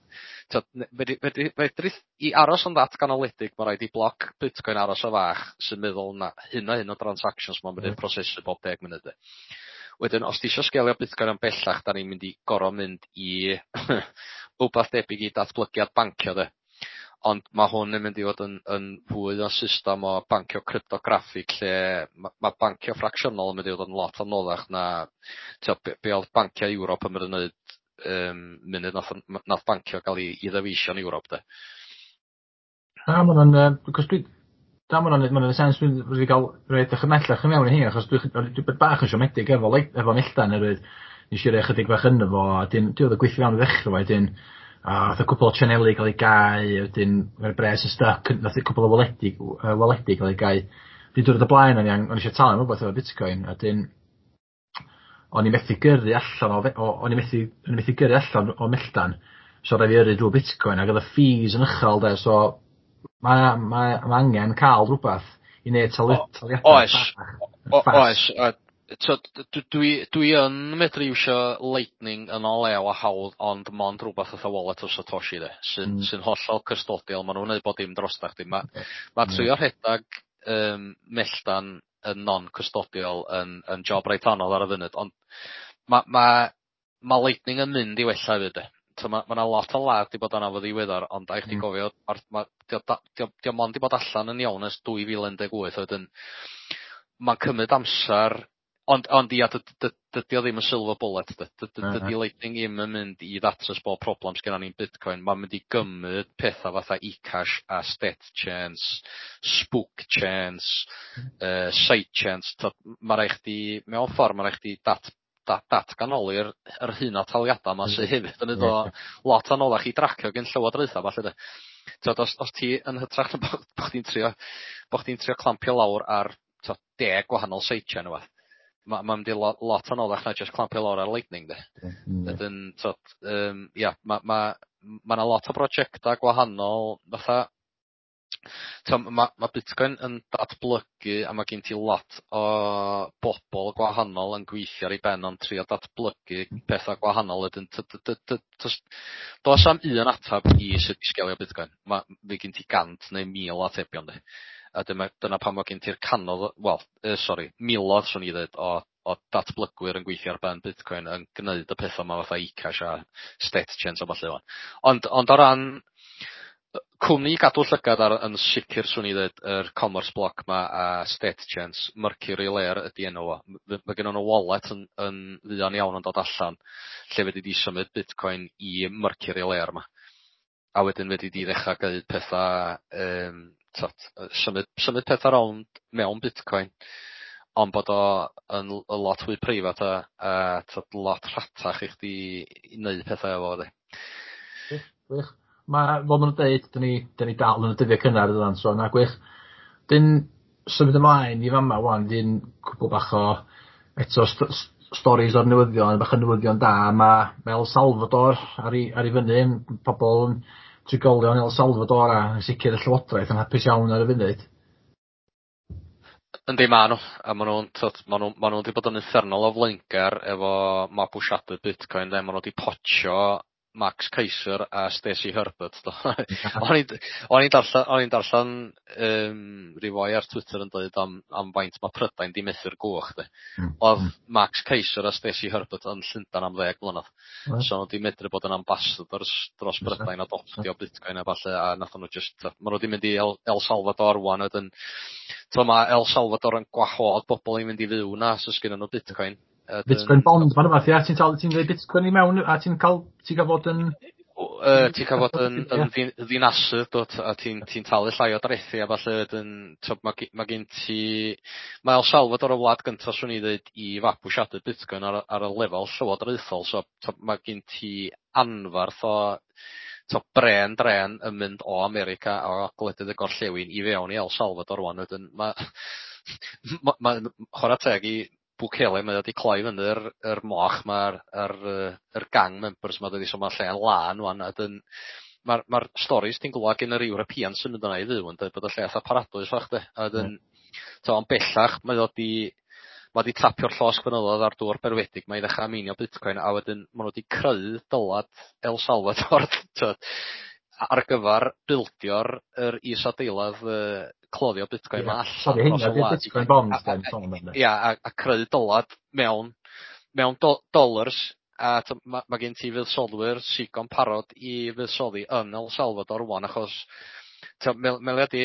t'od fedri fedrith i aros yn ddatganoledig ma' raid i bloc Bitcoin aros o fach sy'n meddwl na hyn a hyn o transactions ma'n mynd i'n prosesu bob 10 munud 'de. Wedyn os ti isio sgelio Bitcoin yn bellach 'dan ni'n mynd i gor'o' mynd i wbath debyg i datblygiad bancio 'de. Ond ma' hwn yn mynd i fod yn fwy o system o bancio cryptograffig lle ma' bancio ffracsiynol yn mynd i fod yn lot anoddach na t'o' be' o'dd banciau Ewrop yn mynd i wneud munud nath bancio ga'l 'i ddyfeisio yn Ewrop 'de. Na ma' wnna'n yy 'c'os dwi na ma' wnna'n ma' wnna'n sense dwi'n wedi ga'l roi edrych ymhellach i mewn i hein achos dwi bach yn siomedig efo efo Melltan oherwydd nes i roi chydig bach yno fo a 'dyn 'di o'dd yn gweithio iawn i ddechre 'fo wedyn a nath y cwpwl o sianeli ga'l eu gau a wedyn ma'r bres yn styc nath y cwpwl o waledi ga'l eu gau. Wedyn diwrnod o blaen o'n i isio talu am rwbath efo Bitcoin a 'dyn o'n i methu gyrru allan o fe- o o'n i methu gyrru allan o Melltan so raid fi yrru drw Bitcoin ag o'dd y fees yn uchel 'de so ma' angen ca'l rwbath i neud taliadau Oes. Oes a t'od dwi yn medru iwsio Lightning yn o lew a hawdd ond mond rwbath fatha Wallet of Satoshi 'de sy'n sy'n hollol custodial ma' nw'n neud bob dim drostach chdi ma' trio rhedag Melltan yn non-custodial yn job reit anodd ar y funud ond ma' Lightning yn mynd i wella hefyd 'de. So ma' 'na lot o ladd 'di bod arno fo ddiweddar ond rhaid chdi gofio ma'r 'di o mond 'di bod allan yn iawn ers 2018 a wedyn ma'n cymryd amsar ond ia dydy o ddim yn silver bullet de. Dydy Lightning ddim yn mynd i ddatrys bob problem sgennon ni'n Bitcoin. Ma'n mynd i gymryd petha fatha eCash a state chains, spoke chains, side chains. Ma' raid chdi mewn ffor ma' raid chdi datganoli'r yr hyn o taliada 'ma sy hefyd yn neud o lot anoddach i dracio gin llywodraetha falle de. T'od os ti yn hytrach na bo' chdi'n trio clampio lawr ar t'od 10 gwahanol sidechain ne' wbath, ma'n mynd i lot anoddach na jyst clampio lawr ar Lightning de. Wedyn t'od ia ma' 'na lot o brojecta gwahanol fatha ma' Bitcoin yn datblygu a ma' gen ti lot o bobol gwahanol yn gweithio ar ei ben o'n trio datblygu petha gwahanol wedyn do's 'am un atab i sut i sgelio Bitcoin. Ma' fydd gen ti 100 neu 1000 o atebion de. A dyna pam ma' gen ti'r canodd wel sori milodd swn i ddweud o datblygwyr yn gweithio ar ben Bitcoin yn gneud y petha 'ma fatha eCash a state chains a ballu 'wan. Ond o ran cwmni i gadw llygad ar yn sicr swn i ddweud yr Commerce Block 'ma a state chains, Mercury Layer ydi enw fo. Ma' gynnon nhw wallet yn fuan iawn yn dod allan lle fedri di symud Bitcoin i Mercury Layer 'ma. A wedyn fedri di ddechra gneud petha symud petha rownd mewn Bitcoin ond bod o yn lot fwy preifat a t'od lot rhatach i chdi i neud pethau efo fo de. Gwych, gwych. Ma' fel ma' nw'n deud 'dyn ni dal yn y dyddia cynnar dydan so na gwych. 'Dyn symud ymlaen i fama ŵan 'dyn cwpwl bach o eto storis o'r newyddion bach o newyddion da ma' El Salvador ar 'i fyny pobol yn trigolion El Salvador a yn sicr y llywodraeth yn hapus iawn ar y funud. Yndi ma' nhw a ma' nw'n t'od ma' nhw 'di bod yn uffernol o flaengar efo mabwysiadu Bitcoin de ma' nhw 'di potsio Max Keiser a Stacy Herbert do. O'n i'n darllen ryw foi ar Twitter yn dweud am faint ma' Prydain 'di methu'r gwch de. O'dd Max Keiser a Stacy Herbert yn Llundan am 10 mlynedd. So nhw 'di medru bod yn ambassadors dros Brydain adoptio Bitcoin a ballu a nathon nhw jyst ma' nhw 'di mynd i El Salvador ŵan wedyn t'o' ma' El Salvador yn gwahodd bobol i mynd i fyw 'na os o's gennyn nhw Bitcoin. Bitcoin bond ma'n rwbath ia ti'n talu ti'n rhoi Bitcoin i mewn a ti'n ca'l fod yn ti'n ca'l fod yn ddinasydd dw't a ti'n talu llai o drethi a ballu wedyn t'od ma' gen ti ma' El Salvador y wlad gynta swn i ddeud i fabwysiadu Bitcoin ar y lefel llywodraethol so t'od ma' gen ti anfarth o t'od bren dren yn mynd o America o gwledydd y gorllewin i fewn i El Salvador ŵan wedyn ma' ma' chwara teg i Bukele mae o 'di cloi fyny'r yr moch ma'r yr gang members 'ma dydi so ma'r lle'n lân ŵan a 'dyn ma'r storis ti'n glwad gen yr Europeans sy'n mynd yna i fyw yn dweud bod y lle fatha paradwys fach de a wedyn t'o' ond bellach mae o 'di Ma' 'di tapio'r llosg fynyddoedd ar dŵr berwedig, mae i ddechrau meinio Bitcoin a wedyn ma' nhw wedi creu dylad El Salvador t'wod ar gyfar bildio'r yr isadeiledd cloddio Bitcoin 'ma allan dros y wlad. Bitcoin bonds 'dan sôn amdan. Ia a creu dylad mewn dollars a ma' gen ti fuddsoddwyr sigon parod i fuddsoddi yn El Salvador rŵan achos meddylia di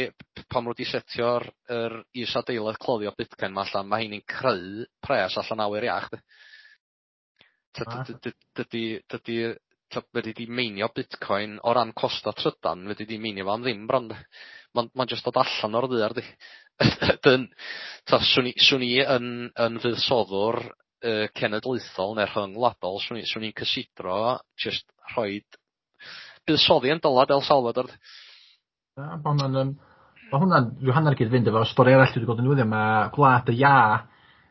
pan ma' nw 'di setio'r yr isadeiledd cloddio Bitcoin 'ma allan, ma' heini'n creu pres allan awyr iach 'di. Dydy dydy fedri di meinio Bitcoin o ran costa trydan, fedri di meinio fo am ddim bron de. Ma'n jyst dod allan o'r ddaear di. Dyn, swn i yn fuddsoddwr cenedlaethol neu rhyngwladol, swn i'n cysidro jyst rhoid buddsoddi yn dylad El Salvador. Na, ma' hwnna'n ma' hwnna'n rhyw hanner gyd-fynd efo stori arall dwi wedi gweld yn newyddion, ma' Gwlad y Iâ,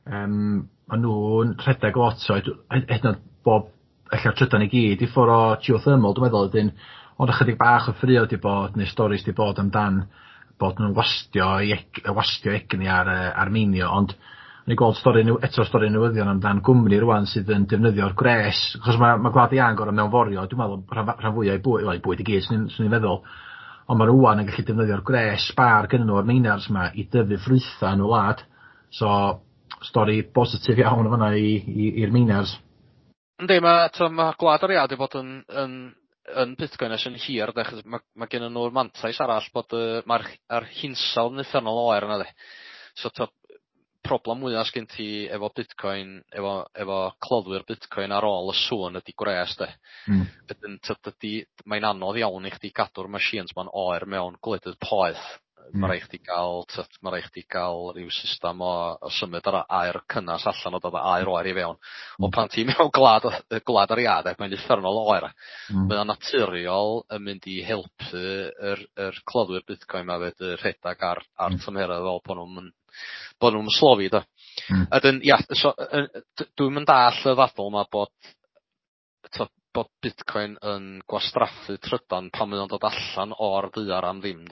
ma' nhw'n rhedeg lot o hyd yn oed bob ella'r trydan i gyd i ffwr o geothermal dwi'n meddwl wedyn, ond ychydig bach o ffrio 'di bod neu storis 'di bod amdan bod nhw'n wastio 'u wastio egni ar ar meinio, ond o'n i'n gweld stori eto stori newyddion amdan gwmni rŵan sydd yn defnyddio'r gwres, achos ma' Gwlad y Iâ yn gor'o' mewnforio dwi'n meddwl rhan fwya o'i bwyd, wel 'i bwyd i gyd swn i'n feddwl, ond ma' rŵan yn gallu defnyddio'r gwres sbâr gynnyn nhw o'r miners 'ma i dyfu ffrwytha yn y wlad. So stori bositif iawn yn fanna i'r miners. Yndi, ma' t'o' ma' Gwlad yr Iâ 'di bod yn Bitcoin ers yn hir de, achos ma' gennyn nhw'r mantais arall bod ma'r yr hinsawdd yn uffernol oer yna de. So t'o' problem mwya sgyn ti efo Bitcoin, efo cloddwyr Bitcoin ar ôl y sŵn ydy gwres de. Wedyn t'o' dydy, mae'n anodd iawn i chdi gadw'r machines ma'n oer mewn gwledydd poeth. Ma' rai' chdi ga'l t'od ma' rai' chdi ga'l ryw system o symud yr aer cynnas allan o dod â aer oer i fewn. Wel pan ti mewn gwlad yr iâ de, mae'n uffernol o oer. Mae o'n naturiol yn mynd i helpu yr cloddwyr Bitcoin 'ma fedru rhedag ar tymheredd fel bo' nw'm bod nhw'n slofi do. A dyn, ia, so dwi'm yn dall y ddadl 'ma bod Bitcoin yn gwastraffu trydan pan mae o'n dod allan o'r ddaear am ddim.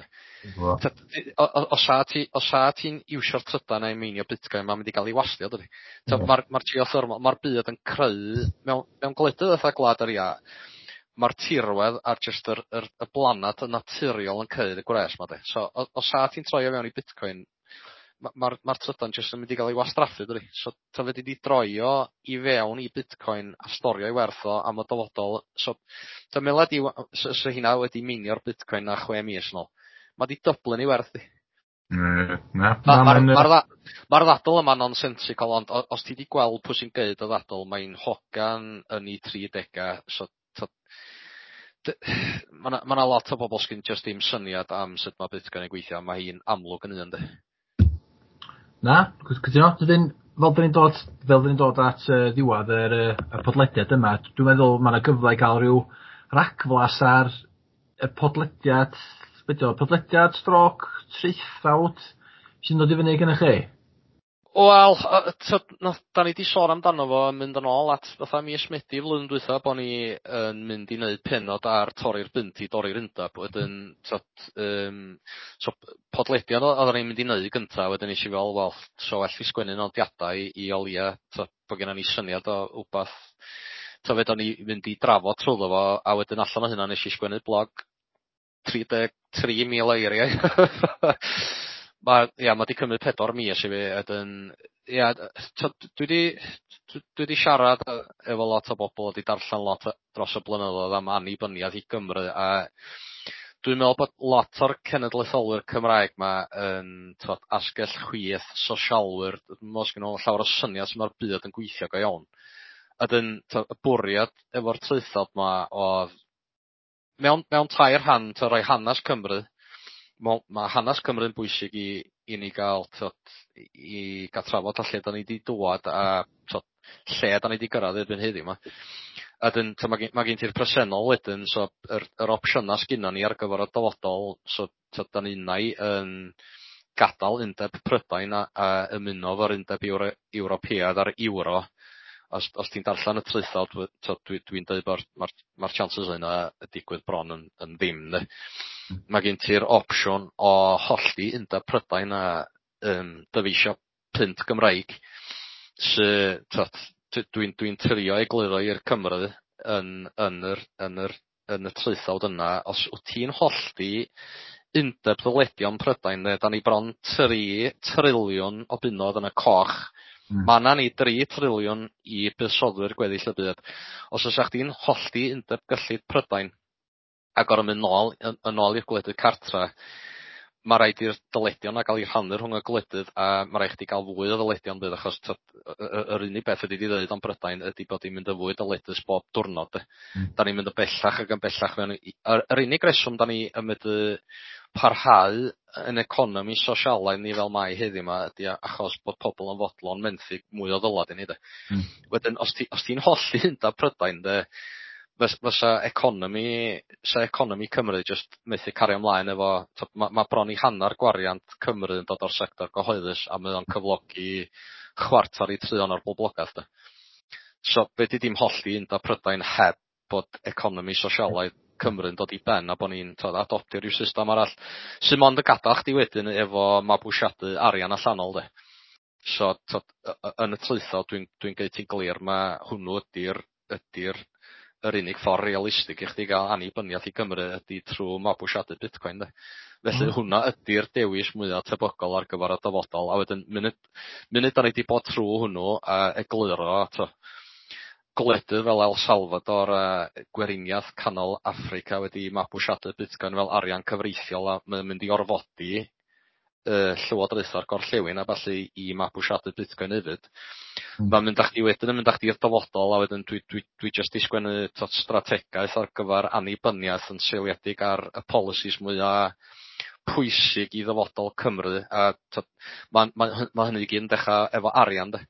Os a ti'n iwsio'r trydan a'i meinio Bitcoin, mae'n mynd i gael ei wastio, dydi? Mae'r geothermal, mae'r byd yn creu, mewn gwledydd fatha Gwlad yr Iâ, mae'r tirwedd a'r jyst y blanad yn naturiol yn creu y gwres 'ma de. So os a ti'n troi o fewn i Bitcoin, ma'r trydan jyst yn mynd i gael ei wastraffu, dydi? So ta fedri di droi o i fewn i Bitcoin a storio ei werth o am y dyfodol. So ta meddylia di so hynna wedi meinio'r Bitcoin na 6 mis nôl. Ma' 'di dyblu'n ei werth di. Na. Ma'r ddadl yma'n nonsensical, ond os ti 'di gweld pwy sy'n geud y ddadl, mae'n hogan yn 'i 30au, so ma' 'na lot o bobl sgyn jyst dim syniad am sut ma' Bitcoin yn gweithio, ma' hi'n amlwg yn un, de. Na, cytuno. Dydyn, fel 'dyn ni'n dod at ddiwadd yr podlediad yma, dwi'n meddwl ma' 'na gyfle i gael rhyw ragflas ar y podlediad, be' 'di o, podlediad stroke traethawd sy'n dod i fyny gennych chi? Wel, da ni 'di sôn amdano fo yn mynd yn ôl at fatha mis Medi flwyddyn dwytha bo' ni yn mynd i wneud pennod ar torri'r bunt i dorri'r undeb, wedyn so podlediad oedden ni'n mynd i wneud gynta, wedyn nes i fel, wel, so well i sgwennu nodiadau i o leia, t'od, bo' gennon ni syniad o wbath, t'o' fedra ni fynd i drafod trwyddo fo, a wedyn allan o hynna nes i sgwennu blog 33,000 o eiriau. Ma' 'di cymryd 4 mis i fi, wedyn ia, dwi 'di siarad efo lot o bobl, 'di darllen lot dros y blynyddoedd am annibyniaeth i Gymru, a dwi'n meddwl bod lot o'r cenedlaetholwyr Cymraeg 'ma yn asgell chwith, sosialwyr, dwi'm yn meddwl sgynno nhw llawer o syniad sut ma'r byd yn gweithio go iawn. A 'dyn y bwriad efo'r traethawd 'ma oedd mewn tair rhan, rhoi hanes Cymru, ma' hanes Cymru'n bwysig i ni gael i gael trafod lle 'dan ni 'di dŵad a lle 'dan ni 'di gyrraedd erbyn heddiw 'ma. A 'dyn ma' gen ti'r presennol wedyn, so yr opsiyna sgynnon ni ar gyfer y dyfodol, so 'dan ni unai yn gadael Undeb Prydain a ymuno efo'r Undeb Ewropeaidd a'r Euro. Os ti'n darllen y traethawd, dwi'n dweud bod ma'r chances yna y digwydd bron yn ddim, de. Mae gen ti'r opsiwn o hollti Undeb Prydain a dyfeisio punt Gymraeg. Sy, t'od, dwi'n trio egluro i'r Cymru yn y traethawd yna, os wyt ti'n hollti undeb ddyledion Prydain, de, da ni bron 3 triliwn o bunnoedd yn y coch. Ma' 'na ni 3 triliwn i buddsoddwyr gweddill y byd. Os oes chdi'n hollti undeb gyllid Prydain a gor'o' mynd nôl yn ôl i'r gwledydd cartra, ma' raid i'r dyledion 'na ga'l 'u rhannu rhwng y gwledydd a ma' raid chdi ga'l fwy o ddyledion bydd achos t'od yr unig beth ydi 'di ddeud am Brydain ydi bod hi'n mynd yn fwy dyledus bob diwrnod de. Da ni'n mynd yn bellach ac yn bellach mewn i yr unig reswm da ni yn medru parhau yn economi sosialaidd ni fel mai heddiw 'ma ydi achos bod pobl yn fodlon menthyg mwy o ddylad i ni de. Wedyn os ti os ti'n hollti undab Prydain de, fysa economi sa economi Cymru jyst methu cario ymlaen efo t'od ma' bron i hannar gwariant Cymru yn dod o'r sector gyhoeddus a mae o'n cyflogi chwarter i trion o'r boblogaeth de. So fedri di'm hollti undab Prydain heb bod economi sosialaidd Cymru'n dod i ben a bo' ni'n t'od adoptio ryw system arall sy mond yn gadal chdi wedyn efo mabwysiadu arian allanol de. So t'od yn y traethawd dwi'n gneud ti'n glir ma' hwnnw ydi'r yr unig ffordd realistig i chdi gael annibyniaeth i Gymru ydy trwy mabwysiadu Bitcoin de. Felly hwnna ydy'r dewis mwyaf tebygol ar gyfer y dyfodol, a wedyn munud da ni 'di bod trwy hwnnw a egluro t'o' gwledydd fel El Salvador a Gweriniaeth Canol Affrica wedi mabwysiadu Bitcoin fel arian cyfreithiol a mae'n mynd i orfodi llywodraethau'r gorllewin a ballu i mabwysiadu Bitcoin hefyd. Ma'n mynd â chdi wedyn yn mynd â chdi i'r dyfodol a wedyn dwi jyst 'di sgwennu t'od strategaeth ar gyfer annibyniaeth yn seiliedig ar y policies mwya pwysig i ddyfodol Cymru a t'od ma' hynny i gyd yn dechra efo arian de.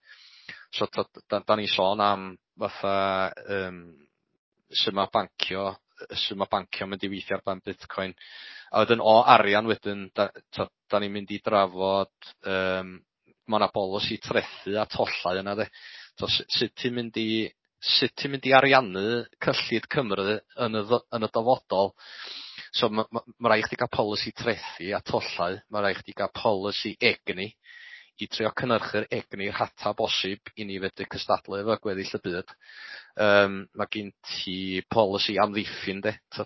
So t'od da ni sôn am fatha sut ma' bancio mynd i weithio ar ben Bitcoin. A wedyn o arian wedyn da ni'n mynd i drafod ma' 'na bolisi trethu a tollau yna de. So sut ti'n mynd i ariannu cyllid Cymru yn y dyfodol. So ma' raid chdi gael polisi trethu a tollau, ma' raid chdi gael polisi egni i trio cynhyrchu'r egni rhata bosib i ni fedru cystadlu efo gweddill y byd. Ma' gen ti polisi amddiffyn de. So,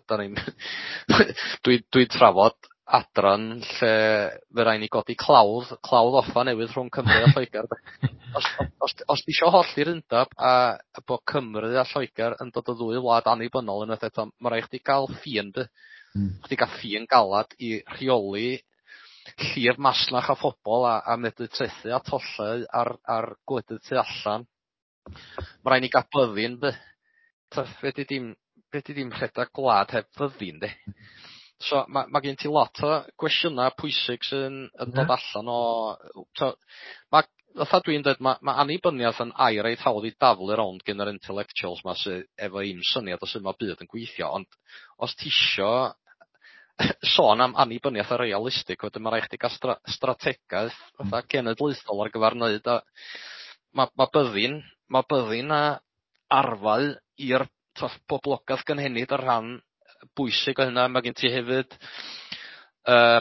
dwi'n trafod adran lle fe rai ni godi clawdd offa newydd rhwng Cymru a Lloegr. Os ti isio hollti'r undab a bod Cymru a Lloegr yn dod o ddwy wlad annibynnol unwaith eto, ma' raid chdi gael ffin de. Chdi gael ffin galad i rheoli llif masnach a phobl a medru trethu a tollau ar gwledydd tu allan. Ma' raid ni gael byddin de. Fedri di'm rhedeg gwlad heb fyddin de. So ma' gen ti lot o gwestiynau pwysig sy'n yn dod allan o ma' fatha dwi'n dweud ma' annibyniaeth yn air reit hawdd i daflu rownd gen yr intellectuals 'ma sy efo un syniad o sut ma' byd yn gweithio, ond os ti isio sôn am annibyniaeth a realistig, wedyn ma' raid chdi gael strategaeth fatha cenedlaethol ar gyfer wneud a ma' byddin a arfau i'r boblogaeth gynhenid ar rhan bwysig o hynna. Mae gen ti hefyd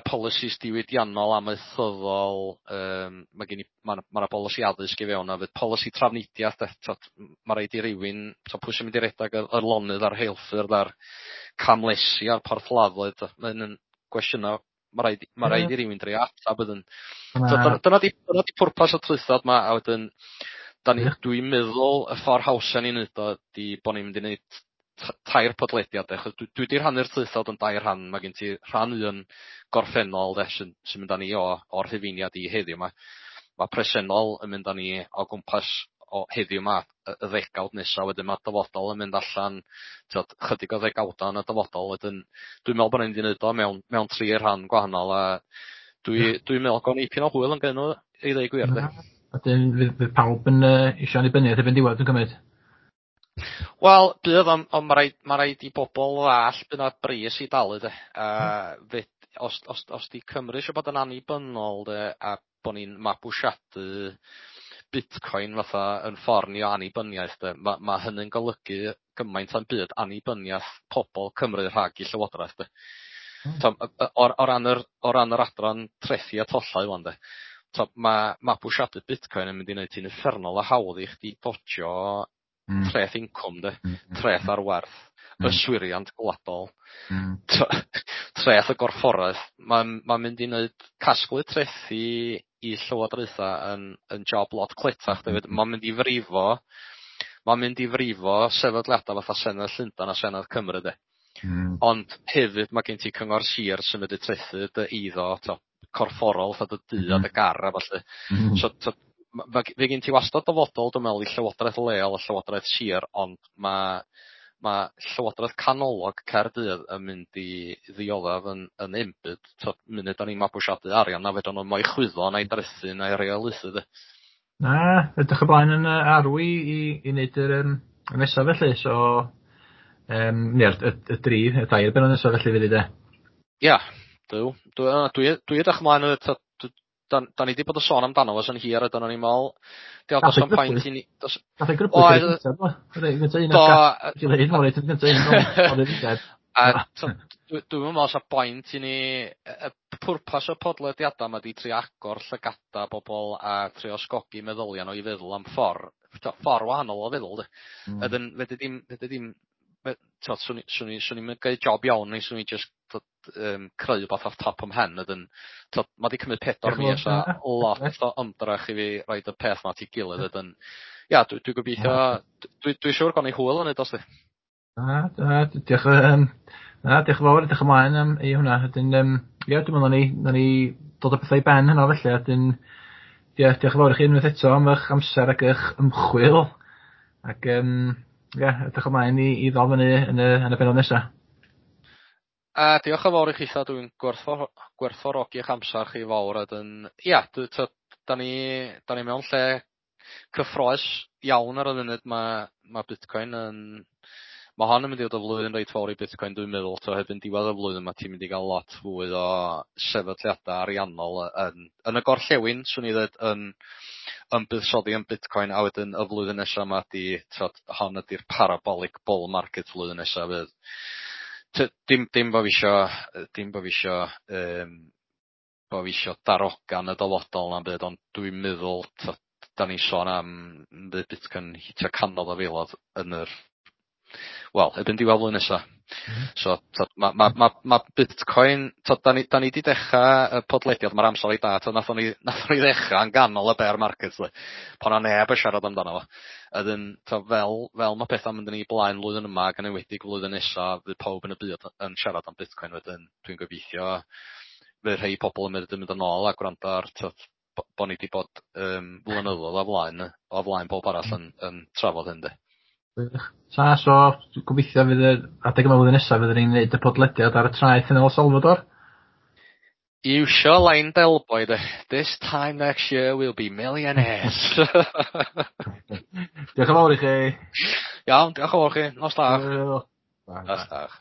policies diwydiannol amaethyddol, mae gen i ma' 'na bolisi addysg i fewn a fydd polisi trafnidiaeth de, ma' raid i rywun, pwy sy'n mynd i redag yr lonydd a'r rheilffyrdd a'r camlesi a'r porthladdoedd, mae'n yn gwestiynau ma' raid i rywun drio atab wedyn. Dyna di pwrpas y traethawd 'ma, a wedyn dwi'n meddwl y ffordd hawsa ni'n neud o ydi bo' ni'n mynd i neud tair podlediad de, achos dwi 'di rhannu'r traethawd yn dair rhan. Mae gen ti rhan un gorffennol de sy'n mynd â ni o'r Rhufeiniad i heddiw 'ma. Mae presennol yn mynd â ni o gwmpas o heddiw 'ma y ddegawd nesa, wedyn mae dyfodol yn mynd allan t'od chydig o ddegawda yn y dyfodol. Wedyn dwi'n meddwl bod ni'n mynd i neud o mewn tri rhan gwahanol, a dwi'n meddwl gawn ni ipyn o hwyl yn gneud nhw i ddweud gwir de. Wedyn fydd pawb yn isio annibyniaeth erbyn diwedd dwi'n cymryd. Wel, bydd, ond ma' raid i bobl ddall bydd 'na bris i dalu de. A os 'di Cymru eisiau bod yn annibynnol de, a bo' ni'n mabwysiadu Bitcoin fatha yn ffordd ni o annibyniaeth de, ma' hynny'n golygu gymaint o'm byd annibyniaeth pobl Cymru rhag i llywodraeth de. O ran yr adran trethi a tollau ŵan de, To, mae mabwysiadu Bitcoin yn mynd i wneud ti'n uffernol o hawdd i chdi dodjo treth incwm de, treth ar werth, yswiriant gwladol, treth y gorfforaeth. Mae'n ma mynd i wneud casglu trethi i llywodraethau yn job lot cletach hefyd. Mae'n mynd i frifo sefydliadau fatha Senedd Llundain a Senedd Cymru de. Ond hefyd mae gen ti cyngor sir sy'n mynd i trethu dy eiddo to, corfforol, fatha dy dŷ a dy gar a ballu. So to, fe gen ti wastad dyfodol, dwi'n meddwl, i llywodraeth leol a llywodraeth sir, ond mae llywodraeth canolog Caerdydd yn mynd i ddioddef yn enbyd. To, munud da ni'n mabwysiadu arian, na fedran nhw mo'i chwyddo na'i drethu na'i reolaethu de. Na, edrych ymlaen yn arw i wneud yr y nesaf felly, so neu'r y dri, y dair benod nesaf felly fydd i de. Ia, dw. Dwi edrych ymlaen yn da ni wedi bod yn sôn amdano fo sy'n hir, a dyna ni'n meddwl, diolch, does o'm pwynt i ni. Nath ei grybwyll i'r gyntaf, do? Reit, gyntaf un o'r Ti'n dweud, reit, gyntaf un o'r A dwi'n meddwl sa point i ni, y pwrpas y podlediadau yma di trio agor llygada bobl a trio ysgogi meddyliau nhw i feddwl am ffordd wahanol o feddwl, de. Ydyn, fedri dim, swn i'n gwneud job iawn, neu swn i just creu rhywbeth off top o'm mhen. Ydyn, mae di cymryd 4 mis a lot o ymdrech i fi roid y peth ma at ei gilydd. Ydyn, ia, dwi gobeithio, dwi siŵr gawn ni hwyl yn neud os di. Na, na, diolch, na, diolch yn fawr, edrych ymlaen am i hwnna. Wedyn, ie, dwi'n meddwl na ni dod â pethau i ben hynna felly. Wedyn, ie, diolch yn fawr i chi unwaith eto am eich amser ac eich ymchwil. Ac, ie, edrych ymlaen i ddal fyny yn y benod nesaf. A diolch yn fawr i chitha, dwi'n gwerthfawrogi eich amser chi fawr. Wedyn, ia, da ni mewn lle cyffrous iawn ar y funud. Mae Bitcoin yn... Mae hon yn mynd i fod y flwyddyn reit fawr i Bitcoin, dwi'n meddwl. To, hebyn diwedd y flwyddyn mae ti'n mynd i gael lot fwy o sefydliadau ariannol yn y gorllewin, swn i ddweud, yn buddsoddi yn Bitcoin, a wedyn y flwyddyn nesaf yma di, t'od, hon ydy'r parabolic bull market flwyddyn nesaf fydd. Dim bo fi isio, bo fi isio darogan y dyfodol na'n byd, ond dwi'n meddwl, t'od, da ni'n sôn am fydd Bitcoin hitio canoedd o filoedd yn yr, wel, erbyn diwedd flwyddyn nesa. So, t'od, ma Bitcoin, t'od, da ni 'di dechrau y podlediad, mae'r amser i da, t'od, nathon ni ddechrau yn ganol y bear market, le, pan o neb yn siarad amdano fo. A wedyn, t'od, fel mae pethau'n mynd yn ei blaen flwyddyn yma ac yn enwedig flwyddyn nesa, fydd pawb yn y byd yn siarad am Bitcoin wedyn. Dwi'n gobeithio fydd rhai pobl yn mynd yn ôl a gwrando ar, t'od, bo ni 'di bod blynyddoedd o flaen pob arall yn trafod hyn, de. Gwych. So, gobeithio fydd yr adeg yma flwyddyn nesaf fyddwn ni'n gwneud y podlediad ar y traeth yn El Salvador. Iwsio line Del Boy, de. "This time next year we'll be millionaires." Diolch yn fawr i chi. Iawn, diolch yn fawr chi. Nos da. Hwyl. Nos da.